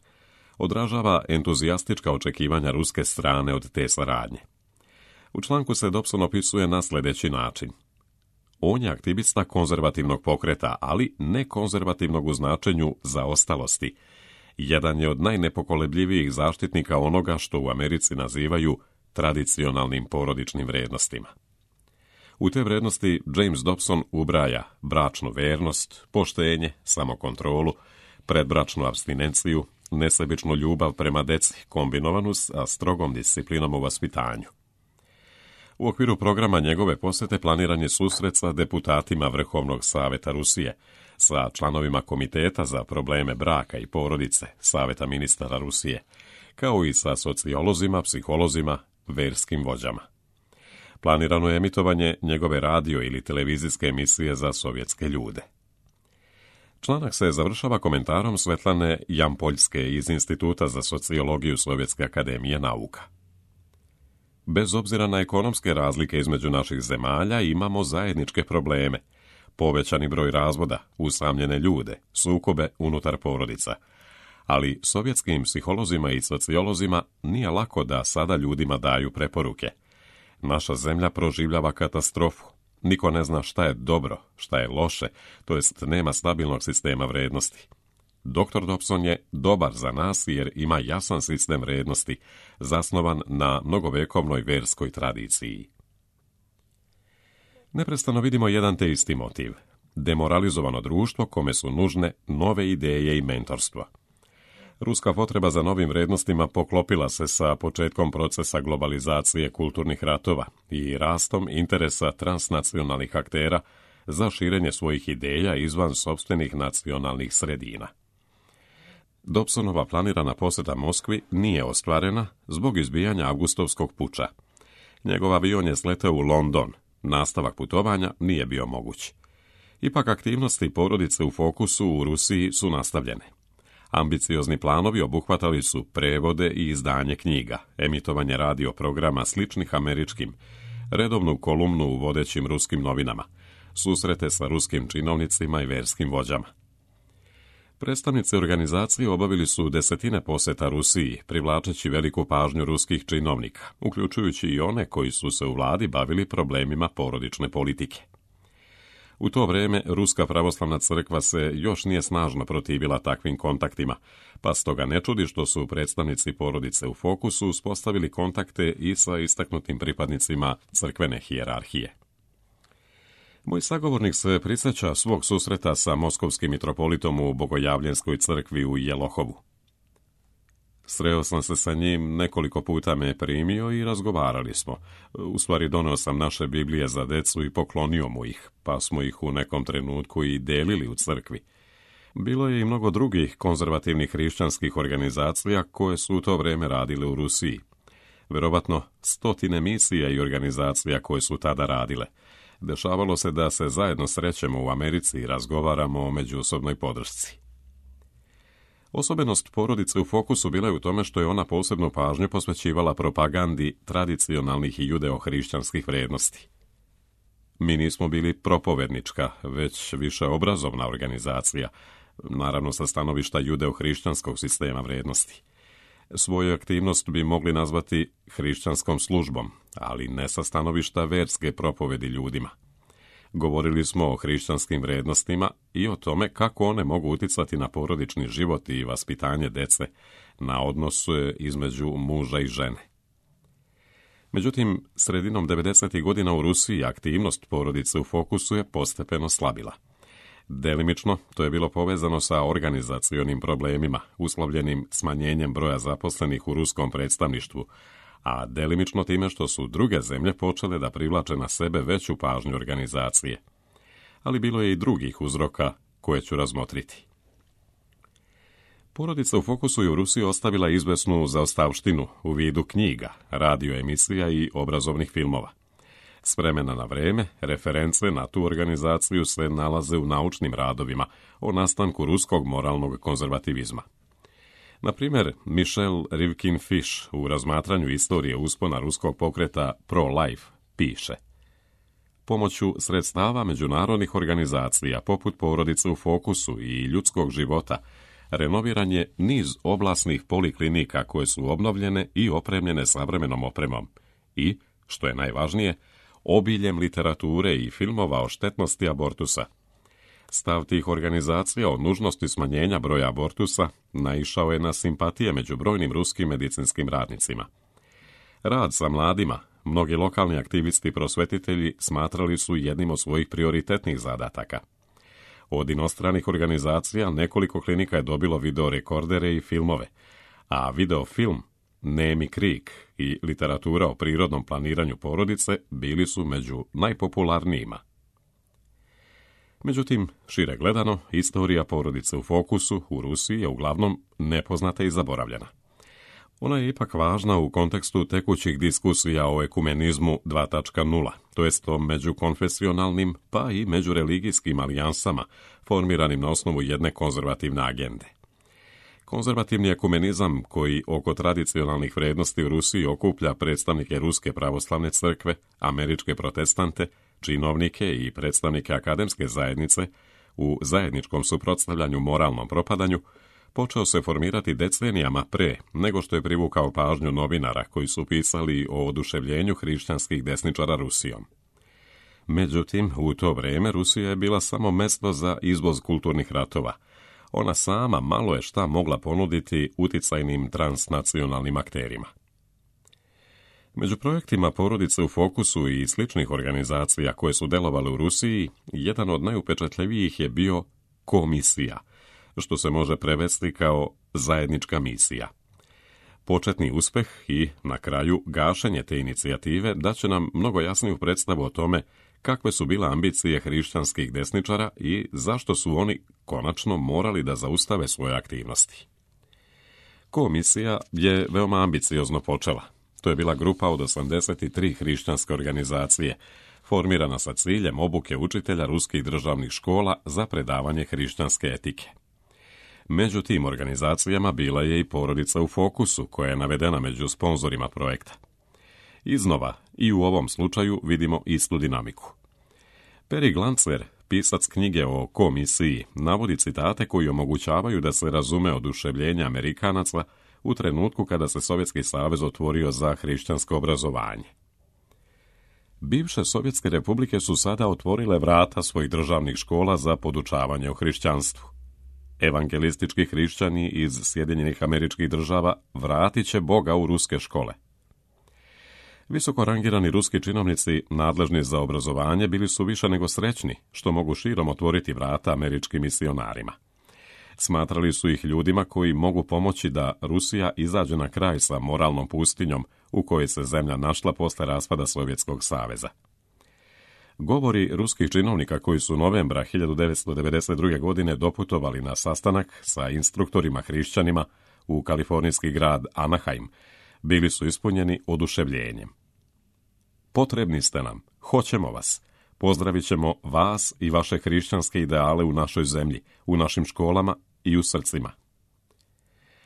odražava entuzijastička očekivanja ruske strane od te saradnje. U članku se Dobson opisuje na sljedeći način. On je aktivista konzervativnog pokreta, ali ne konzervativnog u značenju zaostalosti. Jedan je od najnepokolebljivijih zaštitnika onoga što u Americi nazivaju tradicionalnim porodičnim vrijednostima. U te vrijednosti James Dobson ubraja bračnu vernost, poštenje, samokontrolu, predbračnu apstinenciju, nesebičnu ljubav prema deci kombinovanu sa strogom disciplinom u vaspitanju. U okviru programa njegove posete planiran je susret sa deputatima Vrhovnog saveta Rusije, sa članovima Komiteta za probleme braka i porodice Saveta ministara Rusije, kao i sa sociolozima, psiholozima, verskim vođama. Planirano je emitovanje njegove radio ili televizijske emisije za sovjetske ljude. Članak se završava komentarom Svetlane Jampoljske iz Instituta za sociologiju Sovjetske akademije nauka. Bez obzira na ekonomske razlike između naših zemalja, imamo zajedničke probleme, povećani broj razvoda, usamljene ljude, sukobe unutar porodica. Ali sovjetskim psiholozima i sociolozima nije lako da sada ljudima daju preporuke. Naša zemlja proživljava katastrofu. Niko ne zna šta je dobro, šta je loše, to jest nema stabilnog sistema vrednosti. doktor Dobson je dobar za nas jer ima jasan sistem vrijednosti, zasnovan na mnogovekovnoj verskoj tradiciji. Neprestano vidimo jedan te isti motiv. Demoralizovano društvo kome su nužne nove ideje i mentorstvo. Ruska potreba za novim vrijednostima poklopila se sa početkom procesa globalizacije kulturnih ratova i rastom interesa transnacionalnih aktera za širenje svojih ideja izvan sopstvenih nacionalnih sredina. Dobsonova planirana posjeta Moskvi nije ostvarena zbog izbijanja avgustovskog puča. Njegov avion je sleteo u London, nastavak putovanja nije bio moguć. Ipak aktivnosti porodice u fokusu u Rusiji su nastavljene. Ambiciozni planovi obuhvatali su prevode i izdanje knjiga, emitovanje radio programa sličnih američkim, redovnu kolumnu u vodećim ruskim novinama, susrete sa ruskim činovnicima i verskim vođama. Predstavnici organizacije obavili su desetine posjeta Rusiji, privlačeći veliku pažnju ruskih činovnika, uključujući i one koji su se u vladi bavili problemima porodične politike. U to vrijeme Ruska pravoslavna crkva se još nije snažno protivila takvim kontaktima, pa stoga ne čudi što su predstavnici porodice u fokusu uspostavili kontakte i sa istaknutim pripadnicima crkvene hijerarhije. Moj sagovornik se prisjeća svog susreta sa moskovskim mitropolitom u Bogojavljenskoj crkvi u Jelohovu. Sreo sam se sa njim, nekoliko puta me je primio i razgovarali smo. U stvari donio sam naše Biblije za decu i poklonio mu ih, pa smo ih u nekom trenutku i delili u crkvi. Bilo je i mnogo drugih konzervativnih hrišćanskih organizacija koje su u to vrijeme radile u Rusiji. Vjerovatno stotine misija i organizacija koje su tada radile. Dešavalo se da se zajedno srećemo u Americi i razgovaramo o međusobnoj podršci. Osobenost porodice u fokusu bila je u tome što je ona posebnu pažnju posvećivala propagandi tradicionalnih i judeo-hrišćanskih vrijednosti. Mi nismo bili propovednička, već više obrazovna organizacija, naravno sa stanovišta judeo-hrišćanskog sistema vrijednosti. Svoju aktivnost bi mogli nazvati hrišćanskom službom, ali ne sa stanovišta verske propovedi ljudima. Govorili smo o hrišćanskim vrijednostima i o tome kako one mogu uticati na porodični život i vaspitanje dece, na odnos između muža i žene. Međutim, sredinom devedesetih godina u Rusiji aktivnost porodice u fokusu je postepeno slabila. Delimično to je bilo povezano sa organizacionim problemima, uslovljenim smanjenjem broja zaposlenih u ruskom predstavništvu, a delimično time što su druge zemlje počele da privlače na sebe veću pažnju organizacije. Ali bilo je i drugih uzroka koje ću razmotriti. Porodica u fokusu je u Rusiji ostavila izvesnu zaostavštinu u vidu knjiga, radio emisija i obrazovnih filmova. S vremena na vreme, reference na tu organizaciju se nalaze u naučnim radovima o nastanku ruskog moralnog konzervativizma. Na primjer, Michel Rivkin-Fish u razmatranju istorije uspona ruskog pokreta pro-life piše: pomoću sredstava međunarodnih organizacija poput porodice u fokusu i ljudskog života renoviran je niz oblasnih poliklinika koje su obnovljene i opremljene savremenom opremom i, što je najvažnije, obiljem literature i filmova o štetnosti abortusa. Stav tih organizacija o nužnosti smanjenja broja abortusa naišao je na simpatije među brojnim ruskim medicinskim radnicima. Rad sa mladima, mnogi lokalni aktivisti i prosvetitelji smatrali su jednim od svojih prioritetnih zadataka. Od inostranih organizacija nekoliko klinika je dobilo videorekordere i filmove, a videofilm Nemi krik i literatura o prirodnom planiranju porodice bili su među najpopularnijima. Međutim, šire gledano, istorija porodice u fokusu u Rusiji je uglavnom nepoznata i zaboravljena. Ona je ipak važna u kontekstu tekućih diskusija o ekumenizmu dva točka nula, to jest o međukonfesionalnim pa i međureligijskim alijansama formiranim na osnovu jedne konzervativne agende. Konzervativni ekumenizam, koji oko tradicionalnih vrijednosti u Rusiji okuplja predstavnike Ruske pravoslavne crkve, američke protestante, činovnike i predstavnike akademske zajednice, u zajedničkom suprotstavljanju moralnom propadanju, počeo se formirati decenijama pre nego što je privukao pažnju novinara koji su pisali o oduševljenju hrišćanskih desničara Rusijom. Međutim, u to vrijeme Rusija je bila samo mesto za izvoz kulturnih ratova. Ona sama malo je šta mogla ponuditi uticajnim transnacionalnim akterima. Među projektima porodice u fokusu i sličnih organizacija koje su delovale u Rusiji, jedan od najupečatljivijih je bio komisija, što se može prevesti kao zajednička misija. Početni uspeh i, na kraju, gašenje te inicijative daće nam mnogo jasniju predstavu o tome kakve su bile ambicije hrišćanskih desničara i zašto su oni konačno morali da zaustave svoje aktivnosti. Komisija je veoma ambiciozno počela. To je bila grupa od osamdeset tri hrišćanske organizacije, formirana sa ciljem obuke učitelja ruskih državnih škola za predavanje hrišćanske etike. Među tim organizacijama bila je i porodica u fokusu, koja je navedena među sponzorima projekta. Iznova, i u ovom slučaju vidimo istu dinamiku. Peri Glancer, pisac knjige o komisiji, navodi citate koji omogućavaju da se razume oduševljenje Amerikanaca u trenutku kada se Sovjetski savez otvorio za hrišćansko obrazovanje. Bivše Sovjetske republike su sada otvorile vrata svojih državnih škola za podučavanje o hrišćanstvu. Evangelistički hrišćani iz Sjedinjenih Američkih Država vratit će Boga u ruske škole. Visoko rangirani ruski činovnici nadležni za obrazovanje bili su više nego srećni što mogu širom otvoriti vrata američkim misionarima. Smatrali su ih ljudima koji mogu pomoći da Rusija izađe na kraj sa moralnom pustinjom u kojoj se zemlja našla posle raspada Sovjetskog saveza. Govori ruskih činovnika koji su novembra hiljadu devetsto devedeset druge. godine doputovali na sastanak sa instruktorima hrišćanima u kalifornijski grad Anaheim bili su ispunjeni oduševljenjem. Potrebni ste nam, hoćemo vas, pozdravit ćemo vas i vaše hrišćanske ideale u našoj zemlji, u našim školama i u srcima.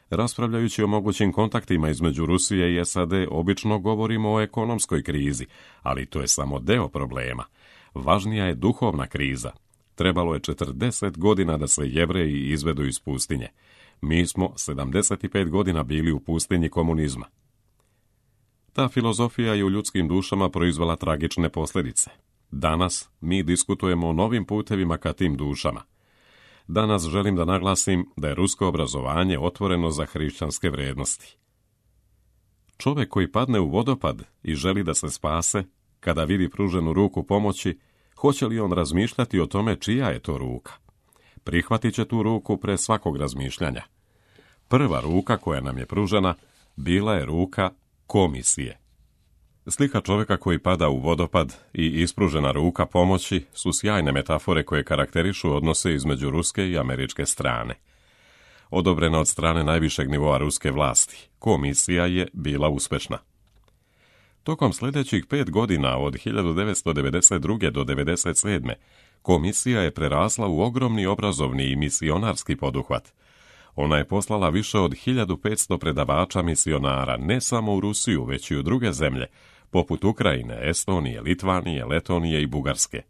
Raspravljajući o mogućim kontaktima između Rusije i S A D, obično govorimo o ekonomskoj krizi, ali to je samo deo problema. Važnija je duhovna kriza. Trebalo je četrdeset godina da se Jevreji izvedu iz pustinje. Mi smo sedamdeset pet godina bili u pustinji komunizma. Ta filozofija je u ljudskim dušama proizvela tragične posljedice. Danas mi diskutujemo o novim putevima ka tim dušama. Danas želim da naglasim da je rusko obrazovanje otvoreno za hrišćanske vrijednosti. Čovjek koji padne u vodopad i želi da se spase, kada vidi pruženu ruku pomoći, hoće li on razmišljati o tome čija je to ruka? Prihvatit će tu ruku pre svakog razmišljanja. Prva ruka koja nam je pružena bila je ruka komisije. Slika čovjeka koji pada u vodopad i ispružena ruka pomoći su sjajne metafore koje karakterišu odnose između ruske i američke strane. Odobrena od strane najvišeg nivoa ruske vlasti, komisija je bila uspešna. Tokom sljedećih pet godina od hiljadu devetsto devedeset druge. do devedeset sedme. komisija je prerasla u ogromni obrazovni i misionarski poduhvat. Ona je poslala više od hiljadu petsto predavača misionara ne samo u Rusiju, već i u druge zemlje, poput Ukrajine, Estonije, Litvanije, Letonije i Bugarske.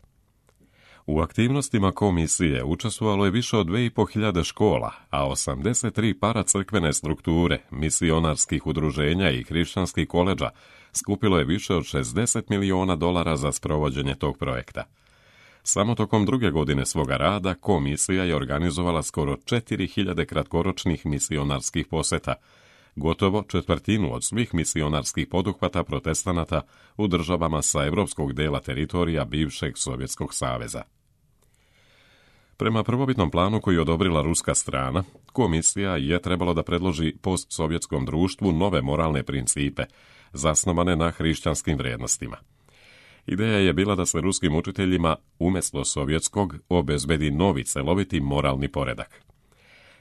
U aktivnostima komisije učestvovalo je više od dve i po hiljade škola, a osamdeset tri paracrkvene strukture, misionarskih udruženja i hrišćanskih koledža skupilo je više od šezdeset miliona dolara za sprovođenje tog projekta. Samo tokom druge godine svoga rada komisija je organizovala skoro četiri hiljade kratkoročnih misionarskih poseta, gotovo četvrtinu od svih misionarskih poduhvata protestanata u državama sa evropskog dela teritorija bivšeg Sovjetskog saveza. Prema prvobitnom planu koji je odobrila ruska strana, komisija je trebalo da predloži postsovjetskom društvu nove moralne principe, zasnovane na hrišćanskim vrijednostima. Ideja je bila da se ruskim učiteljima, umjesto sovjetskog, obezbedi novi celoviti moralni poredak.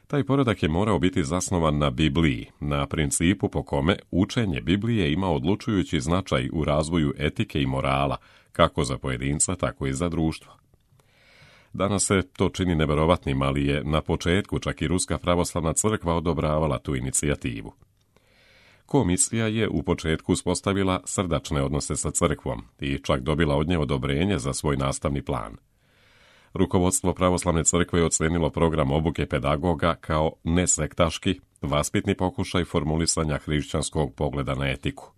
Taj poredak je morao biti zasnovan na Bibliji, na principu po kome učenje Biblije ima odlučujući značaj u razvoju etike i morala, kako za pojedinca, tako i za društvo. Danas se to čini neverovatnim, ali je na početku čak i Ruska pravoslavna crkva odobravala tu inicijativu. Komisija je u početku uspostavila srdačne odnose sa crkvom i čak dobila od nje odobrenje za svoj nastavni plan. Rukovodstvo pravoslavne crkve je ocenilo program obuke pedagoga kao nesektaški, vaspitni pokušaj formulisanja hrišćanskog pogleda na etiku.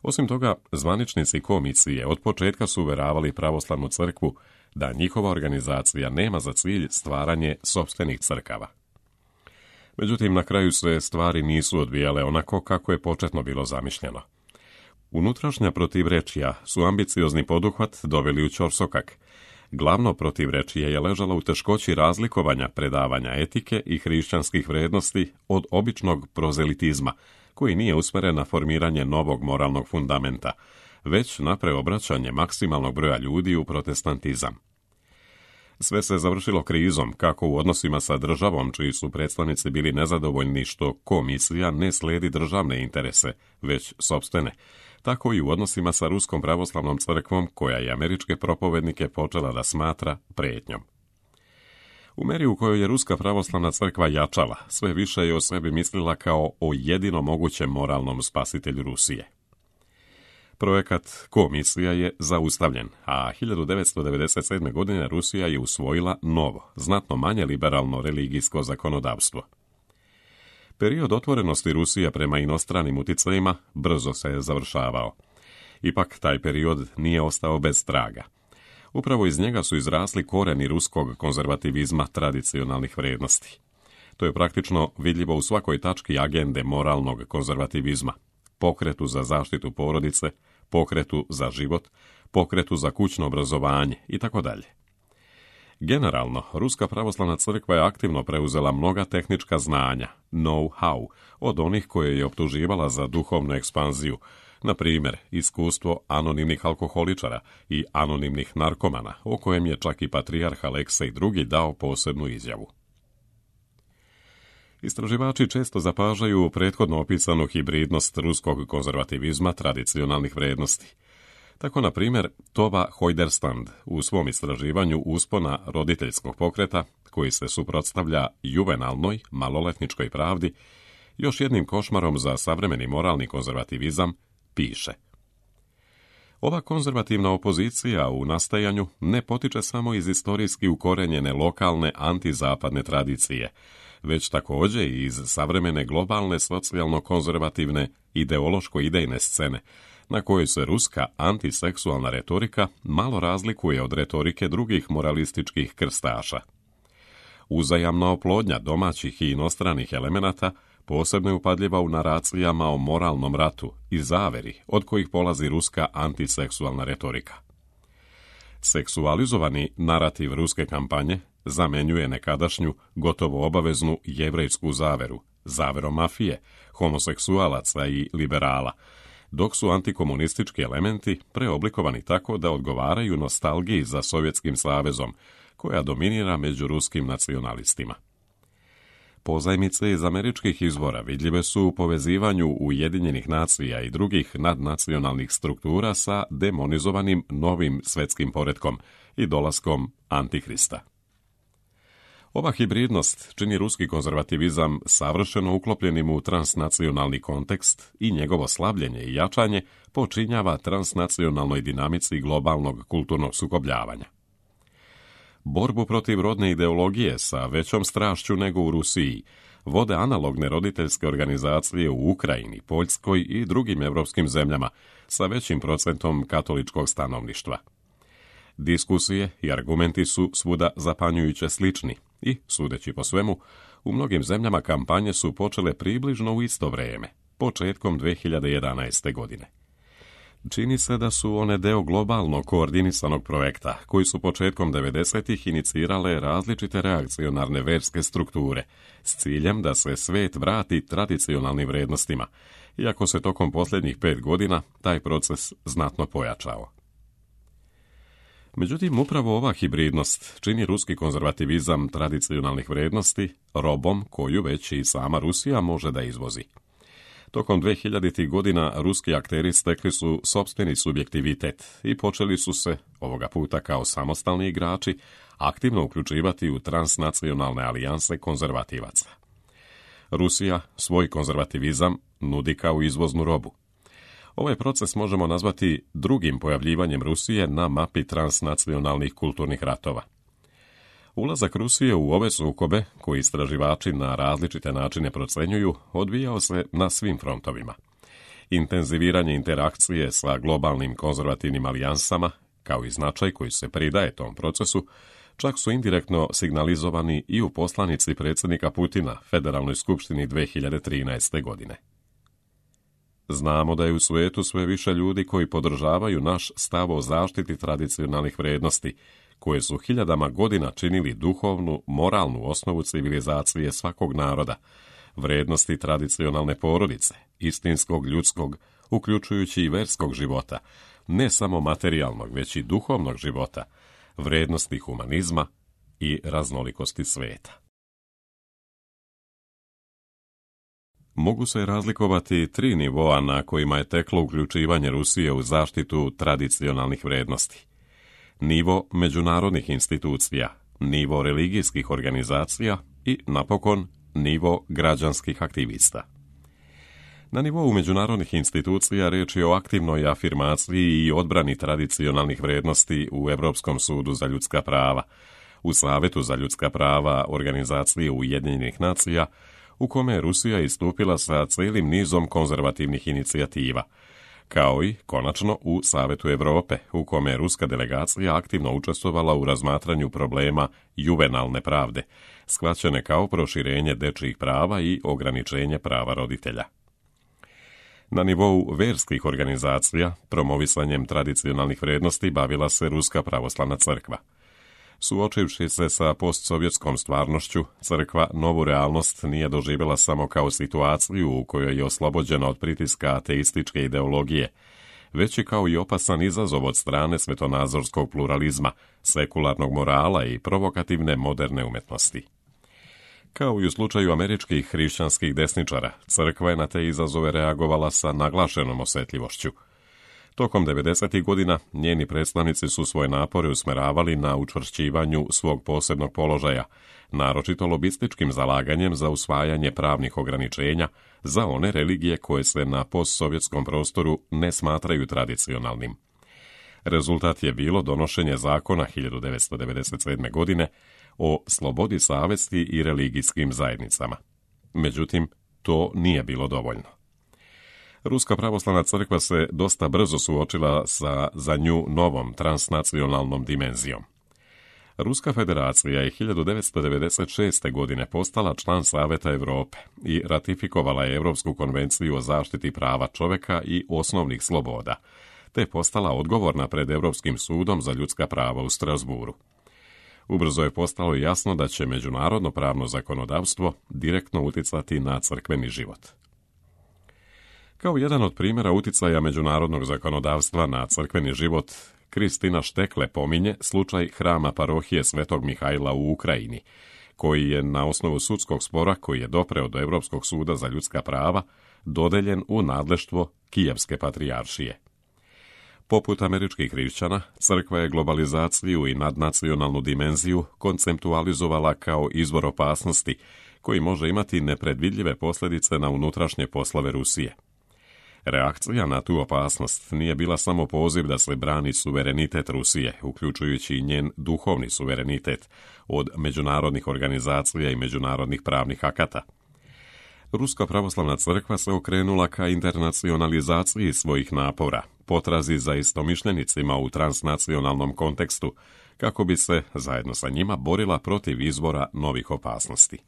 Osim toga, zvaničnici komisije od početka su uveravali pravoslavnu crkvu da njihova organizacija nema za cilj stvaranje sopstvenih crkava. Međutim, na kraju se stvari nisu odvijale onako kako je početno bilo zamišljeno. Unutrašnja protivrečja su ambiciozni poduhvat doveli u ćorsokak. Glavno protivrečje je ležalo u teškoći razlikovanja predavanja etike i hrišćanskih vrednosti od običnog prozelitizma, koji nije usmeren na formiranje novog moralnog fundamenta, već na preobraćanje maksimalnog broja ljudi u protestantizam. Sve se završilo krizom, kako u odnosima sa državom, čiji su predstavnici bili nezadovoljni što komisija ne slijedi državne interese, već sopstvene, tako i u odnosima sa Ruskom pravoslavnom crkvom, koja je američke propovednike počela da smatra prijetnjom. U meri u kojoj je Ruska pravoslavna crkva jačala, sve više je o sebi mislila kao o jedino mogućem moralnom spasitelju Rusije. Projekat komisija je zaustavljen, a hiljadu devetsto devedeset sedme. godine Rusija je usvojila novo, znatno manje liberalno religijsko zakonodavstvo. Period otvorenosti Rusije prema inostranim uticajima brzo se je završavao. Ipak taj period nije ostao bez traga. Upravo iz njega su izrasli koreni ruskog konzervativizma tradicionalnih vrijednosti. To je praktično vidljivo u svakoj tački agende moralnog konzervativizma, pokretu za zaštitu porodice, pokretu za život, pokretu za kućno obrazovanje i tako dalje. Generalno, Ruska pravoslavna crkva je aktivno preuzela mnoga tehnička znanja, know-how, od onih koje je optuživala za duhovnu ekspanziju, na primjer, iskustvo anonimnih alkoholičara i anonimnih narkomana, o kojem je čak i patrijarh Aleksej drugi dao posebnu izjavu. Istraživači često zapažaju prethodno opisanu hibridnost ruskog konzervativizma tradicionalnih vrijednosti. Tako, na primjer, Tova Hojderstand u svom istraživanju uspona roditeljskog pokreta, koji se suprotstavlja juvenalnoj, maloletničkoj pravdi, još jednim košmarom za savremeni moralni konzervativizam, piše: ova konzervativna opozicija u nastajanju ne potiče samo iz istorijski ukorenjene lokalne antizapadne tradicije, već također i iz savremene globalne socijalno-konzervativne ideološko-idejne scene, na kojoj se ruska antiseksualna retorika malo razlikuje od retorike drugih moralističkih krstaša. Uzajamna oplodnja domaćih i inostranih elemenata posebno je upadljiva u naracijama o moralnom ratu i zaveri od kojih polazi ruska antiseksualna retorika. Seksualizovani narativ ruske kampanje zamenjuje nekadašnju, gotovo obaveznu jevrejsku zaveru, zaverom mafije, homoseksualaca i liberala, dok su antikomunistički elementi preoblikovani tako da odgovaraju nostalgiji za Sovjetskim savezom, koja dominira među ruskim nacionalistima. Pozajmice iz američkih izvora vidljive su u povezivanju Ujedinjenih nacija i drugih nadnacionalnih struktura sa demonizovanim novim svjetskim poretkom i dolaskom Antihrista. Ova hibridnost čini ruski konzervativizam savršeno uklopljenim u transnacionalni kontekst i njegovo slabljenje i jačanje počinjava transnacionalnoj dinamici globalnog kulturnog sukobljavanja. Borbu protiv rodne ideologije sa većom strašću nego u Rusiji vode analogne roditeljske organizacije u Ukrajini, Poljskoj i drugim evropskim zemljama sa većim procentom katoličkog stanovništva. Diskusije i argumenti su svuda zapanjujuće slični i, sudeći po svemu, u mnogim zemljama kampanje su počele približno u isto vrijeme, početkom dve hiljade jedanaeste. godine. Čini se da su one deo globalno koordinisanog projekta, koji su početkom devedesetih inicirale različite reakcionarne verske strukture, s ciljem da se svet vrati tradicionalnim vrijednostima, iako se tokom posljednjih pet godina taj proces znatno pojačao. Međutim, upravo ova hibridnost čini ruski konzervativizam tradicionalnih vrijednosti robom koju već i sama Rusija može da izvozi. Tokom dvehiljaditih godina ruski akteri stekli su sopstveni subjektivitet i počeli su se, ovoga puta kao samostalni igrači, aktivno uključivati u transnacionalne alijanse konzervativaca. Rusija svoj konzervativizam nudi kao izvoznu robu. Ovaj proces možemo nazvati drugim pojavljivanjem Rusije na mapi transnacionalnih kulturnih ratova. Ulazak Rusije u ove sukobe, koji istraživači na različite načine procenjuju, odvijao se na svim frontovima. Intenziviranje interakcije sa globalnim konzervativnim alijansama, kao i značaj koji se pridaje tom procesu, čak su indirektno signalizovani i u poslanici predsjednika Putina Federalnoj skupštini dve hiljade trinaeste. godine. Znamo da je u svijetu sve više ljudi koji podržavaju naš stav o zaštiti tradicionalnih vrijednosti, koje su hiljadama godina činili duhovnu, moralnu osnovu civilizacije svakog naroda, vrijednosti tradicionalne porodice, istinskog ljudskog, uključujući i verskog života, ne samo materijalnog, već i duhovnog života, vrijednosti humanizma i raznolikosti sveta. Mogu se razlikovati tri nivoa na kojima je teklo uključivanje Rusije u zaštitu tradicionalnih vrijednosti. Nivo međunarodnih institucija, nivo religijskih organizacija i, napokon, nivo građanskih aktivista. Na nivou međunarodnih institucija riječ je o aktivnoj afirmaciji i odbrani tradicionalnih vrijednosti u Europskom sudu za ljudska prava, u Savetu za ljudska prava Organizacije Ujedinjenih nacija, u kome je Rusija istupila sa cijelim nizom konzervativnih inicijativa, kao i, konačno, u Savetu Europe, u kome je ruska delegacija aktivno učestvovala u razmatranju problema juvenalne pravde, shvaćene kao proširenje dečjih prava i ograničenje prava roditelja. Na nivou verskih organizacija, promovisanjem tradicionalnih vrijednosti bavila se Ruska pravoslavna crkva. Suočivši se sa postsovjetskom stvarnošću, crkva novu realnost nije doživjela samo kao situaciju u kojoj je oslobođena od pritiska ateističke ideologije, već i kao i opasan izazov od strane svetonazorskog pluralizma, sekularnog morala i provokativne moderne umetnosti. Kao i u slučaju američkih hrišćanskih desničara, crkva je na te izazove reagovala sa naglašenom osjetljivošću. Tokom devedesetih godina njeni predstavnici su svoje napore usmeravali na učvršćivanju svog posebnog položaja, naročito lobističkim zalaganjem za usvajanje pravnih ograničenja za one religije koje se na postsovjetskom prostoru ne smatraju tradicionalnim. Rezultat je bilo donošenje zakona hiljadu devetsto devedeset sedme. godine o slobodi savesti i religijskim zajednicama. Međutim, to nije bilo dovoljno. Ruska pravoslavna crkva se dosta brzo suočila sa za nju novom transnacionalnom dimenzijom. Ruska federacija je hiljadu devetsto devedeset šeste. godine postala član Saveta Europe i ratifikovala je Europsku konvenciju o zaštiti prava čovjeka i osnovnih sloboda, te postala odgovorna pred Europskim sudom za ljudska prava u Strasburu. Ubrzo je postalo jasno da će međunarodno pravno zakonodavstvo direktno uticati na crkveni život. Kao jedan od primjera uticaja međunarodnog zakonodavstva na crkveni život, Kristina Štekle pominje slučaj hrama parohije Svetog Mihajla u Ukrajini, koji je na osnovu sudskog spora koji je dopreo do Europskog suda za ljudska prava dodeljen u nadleštvo Kijevske patrijaršije. Poput američkih hrišćana, crkva je globalizaciju i nadnacionalnu dimenziju konceptualizovala kao izvor opasnosti koji može imati nepredvidljive posljedice na unutrašnje poslove Rusije. Reakcija na tu opasnost nije bila samo poziv da se brani suverenitet Rusije, uključujući i njen duhovni suverenitet, od međunarodnih organizacija i međunarodnih pravnih akata. Ruska pravoslavna crkva se okrenula ka internacionalizaciji svojih napora, potrazi za istomišljenicima u transnacionalnom kontekstu, kako bi se, zajedno sa njima, borila protiv izvora novih opasnosti.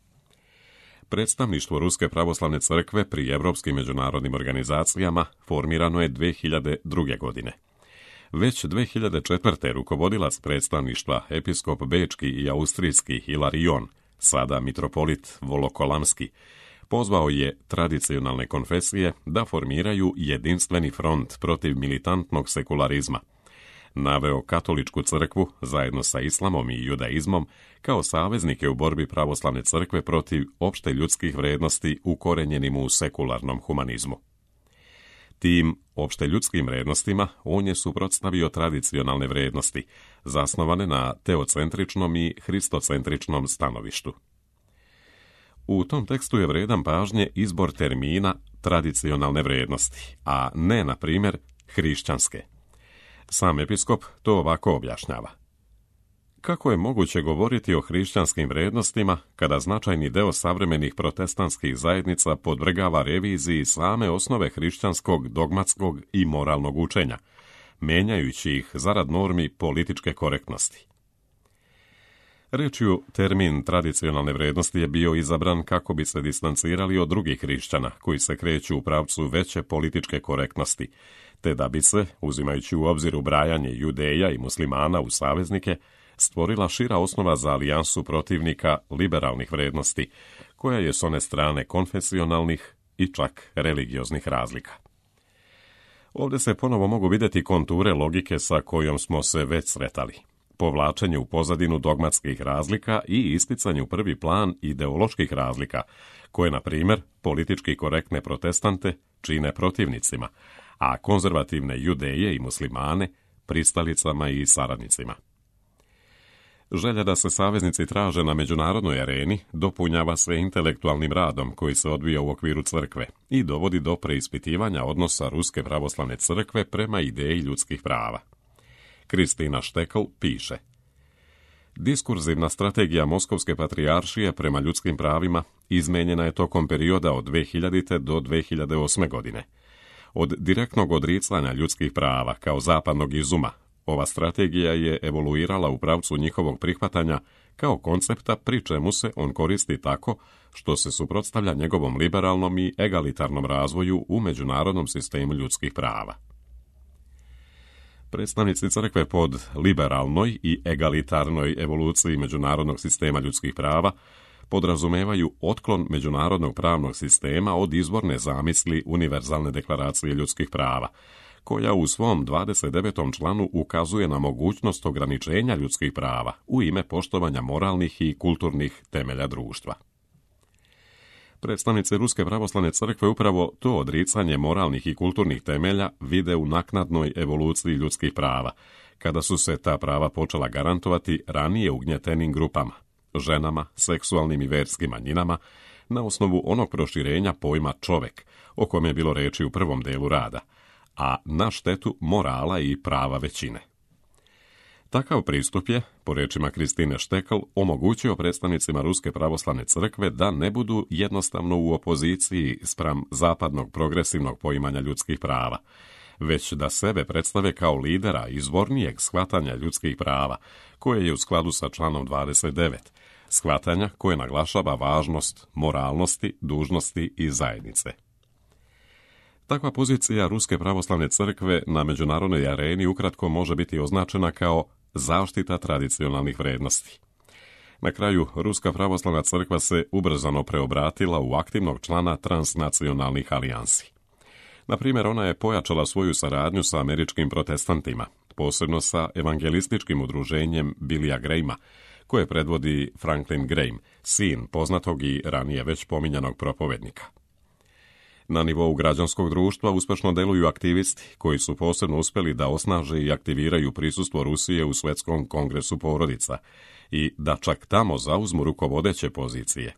Predstavništvo Ruske pravoslavne crkve pri evropskim međunarodnim organizacijama formirano je dve hiljade druge. godine. Već dve hiljade četvrte. rukovodilac predstavništva, episkop bečki i austrijski Hilarion, sada mitropolit Volokolamski, pozvao je tradicionalne konfesije da formiraju jedinstveni front protiv militantnog sekularizma. Naveo katoličku crkvu zajedno sa islamom i judaizmom kao saveznike u borbi pravoslavne crkve protiv opšte ljudskih vrednosti ukorenjenim u sekularnom humanizmu. Tim opšte ljudskim vrednostima on je suprotstavio tradicionalne vrednosti, zasnovane na teocentričnom i hristocentričnom stanovištu. U tom tekstu je vredan pažnje izbor termina tradicionalne vrednosti, a ne, na primjer, hrišćanske. Sam episkop to ovako objašnjava. Kako je moguće govoriti o hrišćanskim vrednostima kada značajni deo savremenih protestantskih zajednica podvrgava reviziji same osnove hrišćanskog, dogmatskog i moralnog učenja, menjajući ih zarad normi političke korektnosti? Rečju, termin tradicionalne vrednosti je bio izabran kako bi se distancirali od drugih hrišćana koji se kreću u pravcu veće političke korektnosti, te da bi se, uzimajući u obzir ubrajanje Judeja i muslimana u saveznike, stvorila šira osnova za alijansu protivnika liberalnih vrednosti, koja je s one strane konfesionalnih i čak religioznih razlika. Ovdje se ponovo mogu vidjeti konture logike sa kojom smo se već sretali. Povlačenje u pozadinu dogmatskih razlika i isticanje u prvi plan ideoloških razlika, koje, na primjer, politički korektne protestante čine protivnicima, a konzervativne judeje i muslimane pristalicama i saradnicima. Želja da se saveznici traže na međunarodnoj areni dopunjava se intelektualnim radom koji se odvija u okviru crkve i dovodi do preispitivanja odnosa Ruske pravoslavne crkve prema ideji ljudskih prava. Kristina Štekl piše: Diskurzivna strategija Moskovske patrijaršije prema ljudskim pravima izmenjena je tokom perioda od dve hiljadite. do dve hiljade osme. godine. Od direktnog odricanja ljudskih prava kao zapadnog izuma, ova strategija je evoluirala u pravcu njihovog prihvatanja kao koncepta, pri čemu se on koristi tako što se suprotstavlja njegovom liberalnom i egalitarnom razvoju u međunarodnom sistemu ljudskih prava. Predstavnici crkve pod liberalnoj i egalitarnoj evoluciji međunarodnog sistema ljudskih prava podrazumevaju otklon međunarodnog pravnog sistema od izvorne zamisli Univerzalne deklaracije ljudskih prava, koja u svom dvadeset devetom članu ukazuje na mogućnost ograničenja ljudskih prava u ime poštovanja moralnih i kulturnih temelja društva. Predstavnici Ruske pravoslavne crkve upravo to odricanje moralnih i kulturnih temelja vide u naknadnoj evoluciji ljudskih prava, kada su se ta prava počela garantovati ranije ugnjetenim grupama, ženama, seksualnim i verskim manjinama, na osnovu onog proširenja pojma čovek, o kojem je bilo reči u prvom delu rada, a na štetu morala i prava većine. Takav pristup je, po rečima Kristine Štekl, omogućio predstavnicima Ruske pravoslavne crkve da ne budu jednostavno u opoziciji spram zapadnog progresivnog poimanja ljudskih prava, već da sebe predstave kao lidera izvornijeg shvatanja ljudskih prava, koje je u skladu sa članom dvadeset devet, shvatanja koje naglašava važnost moralnosti, dužnosti i zajednice. Takva pozicija Ruske pravoslavne crkve na međunarodnoj areni ukratko može biti označena kao zaštita tradicionalnih vrednosti. Na kraju, Ruska pravoslavna crkva se ubrzano preobratila u aktivnog člana transnacionalnih alijansi. Na primjer, ona je pojačala svoju saradnju sa američkim protestantima, posebno sa evangelističkim udruženjem Billya Grahama, koje predvodi Franklin Graham, sin poznatog i ranije već pominjanog propovednika. Na nivou građanskog društva uspešno deluju aktivisti koji su posebno uspjeli da osnaže i aktiviraju prisustvo Rusije u Svjetskom kongresu porodica i da čak tamo zauzmu rukovodeće pozicije.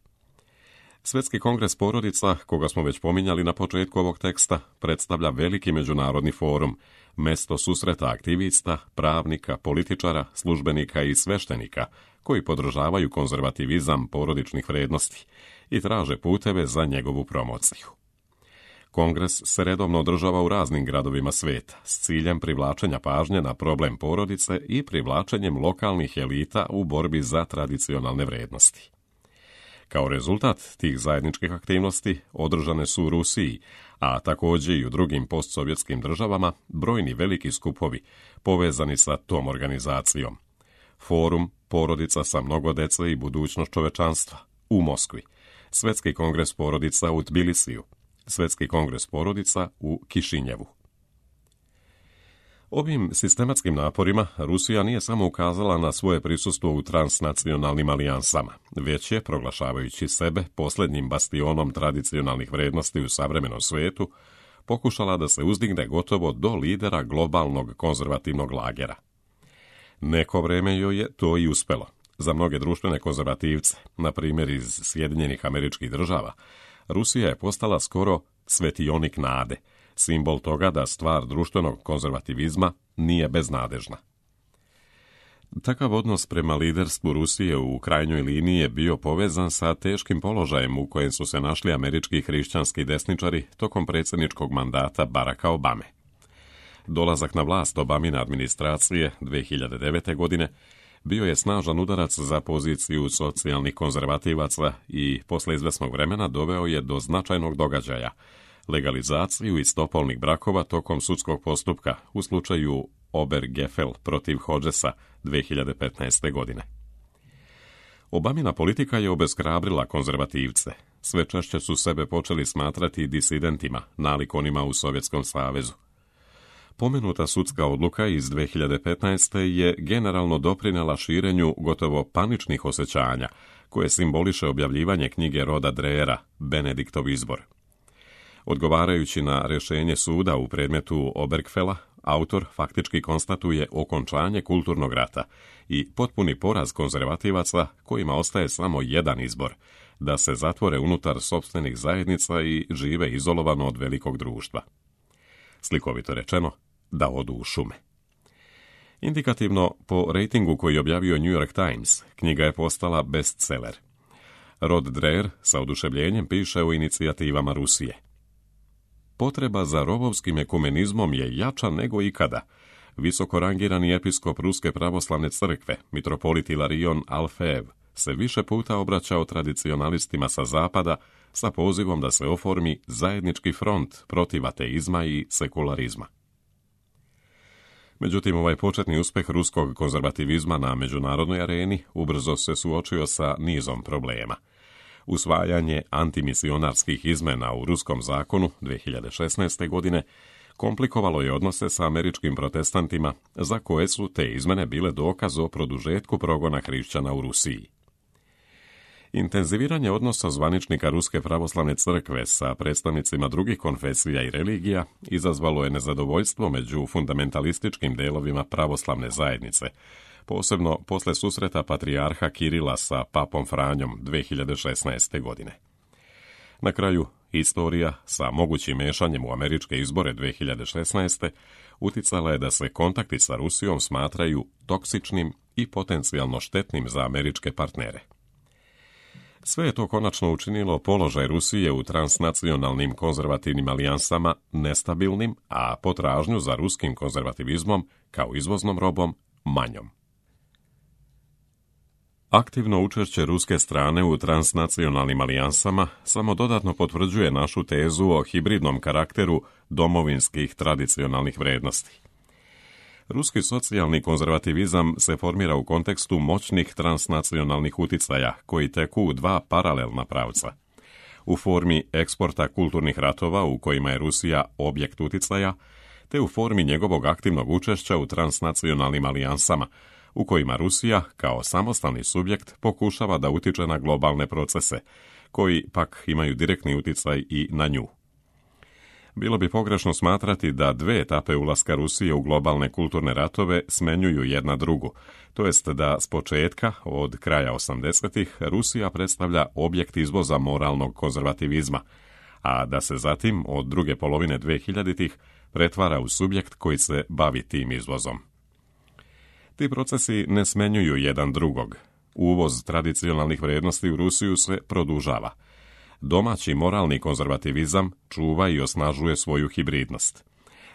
Svjetski kongres porodica, koga smo već pominjali na početku ovog teksta, predstavlja veliki međunarodni forum, mesto susreta aktivista, pravnika, političara, službenika i sveštenika koji podržavaju konzervativizam porodičnih vrednosti i traže puteve za njegovu promociju. Kongres se redovno održava u raznim gradovima sveta s ciljem privlačenja pažnje na problem porodice i privlačenjem lokalnih elita u borbi za tradicionalne vrednosti. Kao rezultat tih zajedničkih aktivnosti održane su u Rusiji, a također i u drugim postsovjetskim državama, brojni veliki skupovi povezani sa tom organizacijom. Forum Porodica sa mnogo dece i budućnost čovečanstva u Moskvi, Svjetski kongres porodica u Tbilisiju, Svjetski kongres porodica u Kišinjevu. Ovim sistematskim naporima Rusija nije samo ukazala na svoje prisustvo u transnacionalnim alijansama, već je, proglašavajući sebe posljednjim bastionom tradicionalnih vrednosti u savremenom svijetu, pokušala da se uzdigne gotovo do lidera globalnog konzervativnog lagera. Neko vrijeme joj je to i uspelo. Za mnoge društvene konzervativce, na primjer iz Sjedinjenih Američkih Država, Rusija je postala skoro svetionik nade, simbol toga da stvar društvenog konzervativizma nije beznadežna. Takav odnos prema liderstvu Rusije u krajnjoj liniji je bio povezan sa teškim položajem u kojem su se našli američki hrišćanski desničari tokom predsjedničkog mandata Baracka Obame. Dolazak na vlast Obamine administracije dvije hiljade devete. godine bio je snažan udarac za poziciju socijalnih konzervativaca i posle izvesnog vremena doveo je do značajnog događaja, legalizaciju istopolnih brakova tokom sudskog postupka u slučaju Obergefell protiv Hodgesa dvije hiljade petnaeste. godine. Obamina politika je obeshrabrila konzervativce. Sve češće su sebe počeli smatrati disidentima, nalik onima u Sovjetskom savezu. Pomenuta sudska odluka iz dvije hiljade petnaeste. je generalno doprinela širenju gotovo paničnih osjećanja, koje simboliše objavljivanje knjige Roda Dreera, Benediktov izbor. Odgovarajući na rješenje suda u predmetu Obergefella, autor faktički konstatuje okončanje kulturnog rata i potpuni poraz konzervativaca kojima ostaje samo jedan izbor, da se zatvore unutar sopstvenih zajednica i žive izolovano od velikog društva. Slikovito rečeno, da odu u šume. Indikativno, po rejtingu koji je objavio New York Times, knjiga je postala bestseller. Rod Dreher sa oduševljenjem piše o inicijativama Rusije. Potreba za rovovskim ekumenizmom je jača nego ikada. Visoko rangirani episkop Ruske pravoslavne crkve, mitropolit Ilarion Alfeev, se više puta obraćao tradicionalistima sa zapada sa pozivom da se oformi zajednički front protiv ateizma i sekularizma. Međutim, ovaj početni uspeh ruskog konzervativizma na međunarodnoj areni ubrzo se suočio sa nizom problema. Usvajanje antimisionarskih izmena u ruskom zakonu dvije hiljade šesnaeste. godine komplikovalo je odnose sa američkim protestantima, za koje su te izmene bile dokaz o produžetku progona hrišćana u Rusiji. Intenziviranje odnosa zvaničnika Ruske pravoslavne crkve sa predstavnicima drugih konfesija i religija izazvalo je nezadovoljstvo među fundamentalističkim delovima pravoslavne zajednice, posebno posle susreta patrijarha Kirila sa papom Franjom dvije hiljade šesnaeste. godine. Na kraju, istorija sa mogućim mešanjem u američke izbore dvije hiljade šesnaeste. uticala je da se kontakti sa Rusijom smatraju toksičnim i potencijalno štetnim za američke partnere. Sve je to konačno učinilo položaj Rusije u transnacionalnim konzervativnim alijansama nestabilnim, a potražnju za ruskim konzervativizmom kao izvoznom robom manjom. Aktivno učešće ruske strane u transnacionalnim alijansama samo dodatno potvrđuje našu tezu o hibridnom karakteru domovinskih tradicionalnih vrednosti. Ruski socijalni konzervativizam se formira u kontekstu moćnih transnacionalnih uticaja koji teku u dva paralelna pravca. U formi eksporta kulturnih ratova u kojima je Rusija objekt uticaja, te u formi njegovog aktivnog učešća u transnacionalnim alijansama, u kojima Rusija, kao samostalni subjekt, pokušava da utiče na globalne procese, koji pak imaju direktni uticaj i na nju. Bilo bi pogrešno smatrati da dve etape ulaska Rusije u globalne kulturne ratove smenjuju jedna drugu, to jest da s početka, od kraja osamdesetih, Rusija predstavlja objekt izvoza moralnog konzervativizma, a da se zatim, od druge polovine dvehiljaditih, pretvara u subjekt koji se bavi tim izvozom. Ti procesi ne smenjuju jedan drugog. Uvoz tradicionalnih vrijednosti u Rusiju se produžava. Domaći moralni konzervativizam čuva i osnažuje svoju hibridnost.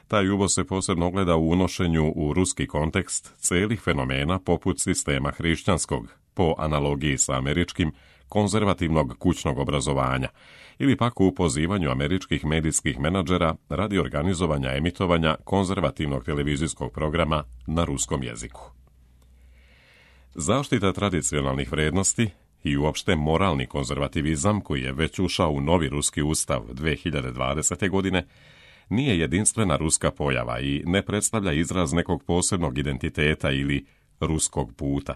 Taj uvoz se posebno ogleda u unošenju u ruski kontekst celih fenomena poput sistema hrišćanskog, po analogiji sa američkim, konzervativnog kućnog obrazovanja, ili pak u pozivanju američkih medijskih menadžera radi organizovanja emitovanja konzervativnog televizijskog programa na ruskom jeziku. Zaštita tradicionalnih vrednosti i uopšte moralni konzervativizam, koji je već ušao u novi ruski ustav dvije hiljade dvadesete. godine, nije jedinstvena ruska pojava i ne predstavlja izraz nekog posebnog identiteta ili ruskog puta.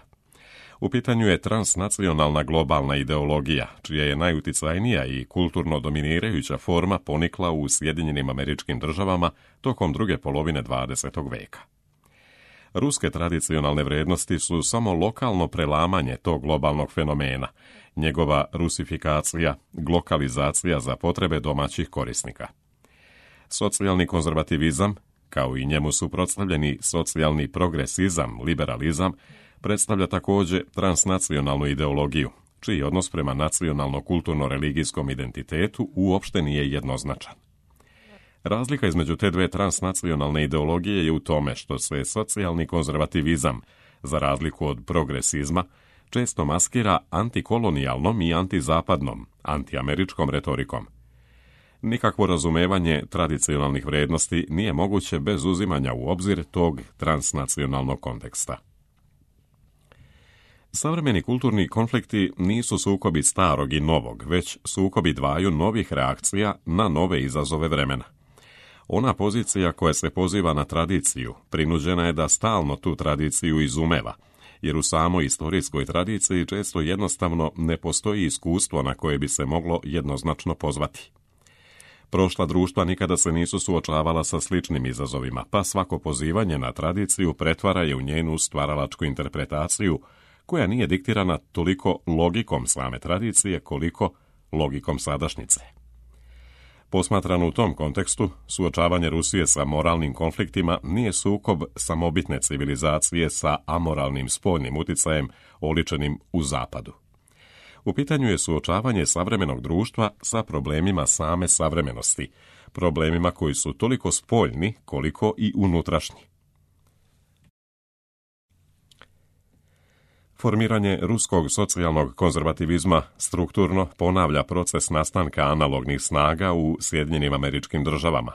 U pitanju je transnacionalna globalna ideologija, čija je najuticajnija i kulturno dominirajuća forma ponikla u Sjedinjenim Američkim Državama tokom druge polovine dvadesetog veka. Ruske tradicionalne vrednosti su samo lokalno prelamanje tog globalnog fenomena, njegova rusifikacija, glokalizacija za potrebe domaćih korisnika. Socijalni konzervativizam, kao i njemu suprotstavljeni socijalni progresizam, liberalizam, predstavlja također transnacionalnu ideologiju, čiji odnos prema nacionalno-kulturno-religijskom identitetu uopšte nije jednoznačan. Razlika između te dve transnacionalne ideologije je u tome što se socijalni konzervativizam, za razliku od progresizma, često maskira antikolonijalnom i antizapadnom, antiameričkom retorikom. Nikakvo razumevanje tradicionalnih vrednosti nije moguće bez uzimanja u obzir tog transnacionalnog konteksta. Savremeni kulturni konflikti nisu sukobi starog i novog, već sukobi dvaju novih reakcija na nove izazove vremena. Ona pozicija koja se poziva na tradiciju prinuđena je da stalno tu tradiciju izumeva, jer u samoj istorijskoj tradiciji često jednostavno ne postoji iskustvo na koje bi se moglo jednoznačno pozvati. Prošla društva nikada se nisu suočavala sa sličnim izazovima, pa svako pozivanje na tradiciju pretvara je u njenu stvaralačku interpretaciju, koja nije diktirana toliko logikom same tradicije koliko logikom sadašnjice. Posmatrano u tom kontekstu, suočavanje Rusije sa moralnim konfliktima nije sukob samobitne civilizacije sa amoralnim spoljnim uticajem oličenim u zapadu. U pitanju je suočavanje savremenog društva sa problemima same savremenosti, problemima koji su toliko spoljni koliko i unutrašnji. Formiranje ruskog socijalnog konzervativizma strukturno ponavlja proces nastanka analognih snaga u Sjedinjenim Američkim Državama,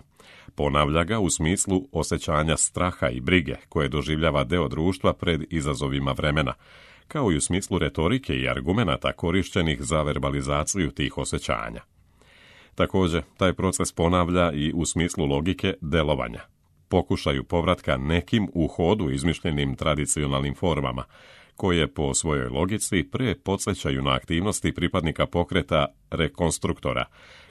Ponavlja ga u smislu osjećanja straha i brige koje doživljava deo društva pred izazovima vremena, kao i u smislu retorike i argumenata korišćenih za verbalizaciju tih osjećanja. Također, taj proces ponavlja i u smislu logike delovanja, pokušaju povratka nekim u hodu izmišljenim tradicionalnim formama, koje po svojoj logici pre podsjećaju na aktivnosti pripadnika pokreta rekonstruktora,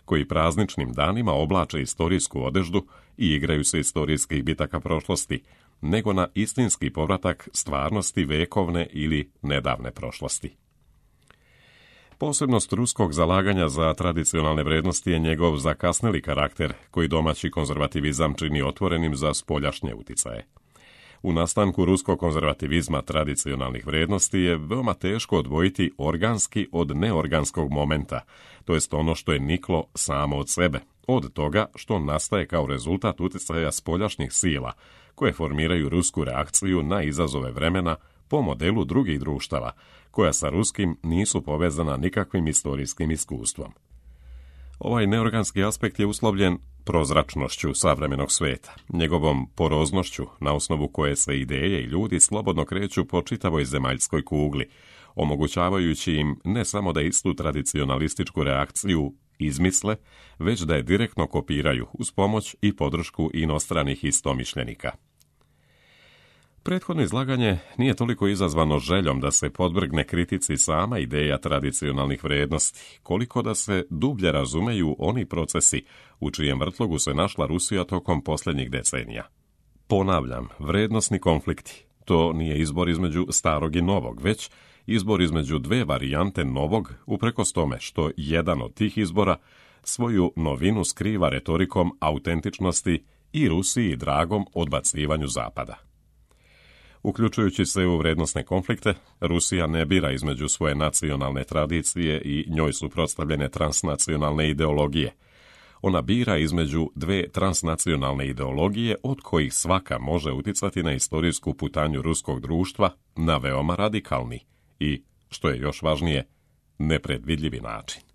koji prazničnim danima oblače istorijsku odeždu i igraju se istorijskih bitaka prošlosti, nego na istinski povratak stvarnosti vekovne ili nedavne prošlosti. Posebnost ruskog zalaganja za tradicionalne vrednosti je njegov zakasneli karakter, koji domaći konzervativizam čini otvorenim za spoljašnje uticaje. U nastanku ruskog konzervativizma tradicionalnih vrednosti je veoma teško odvojiti organski od neorganskog momenta, to jest ono što je niklo samo od sebe, od toga što nastaje kao rezultat uticaja spoljašnjih sila, koje formiraju rusku reakciju na izazove vremena po modelu drugih društava, koja sa ruskim nisu povezana nikakvim istorijskim iskustvom. Ovaj neorganski aspekt je uslovljen prozračnošću savremenog sveta, njegovom poroznošću na osnovu koje se ideje i ljudi slobodno kreću po čitavoj zemaljskoj kugli, omogućavajući im ne samo da istu tradicionalističku reakciju izmisle, već da je direktno kopiraju uz pomoć i podršku inostranih istomišljenika. Prethodno izlaganje nije toliko izazvano željom da se podvrgne kritici sama ideja tradicionalnih vrednosti, koliko da se dublje razumeju oni procesi u čijem vrtlogu se našla Rusija tokom posljednjih decenija. Ponavljam, vrednosni konflikti. To nije izbor između starog i novog, već izbor između dve varijante novog, uprkos tome što jedan od tih izbora svoju novinu skriva retorikom autentičnosti i Rusiji dragom odbacivanju Zapada. Uključujući se u vrednosne konflikte, Rusija ne bira između svoje nacionalne tradicije i njoj suprotstavljene transnacionalne ideologije. Ona bira između dve transnacionalne ideologije od kojih svaka može uticati na istorijsku putanju ruskog društva na veoma radikalni i, što je još važnije, nepredvidljivi način.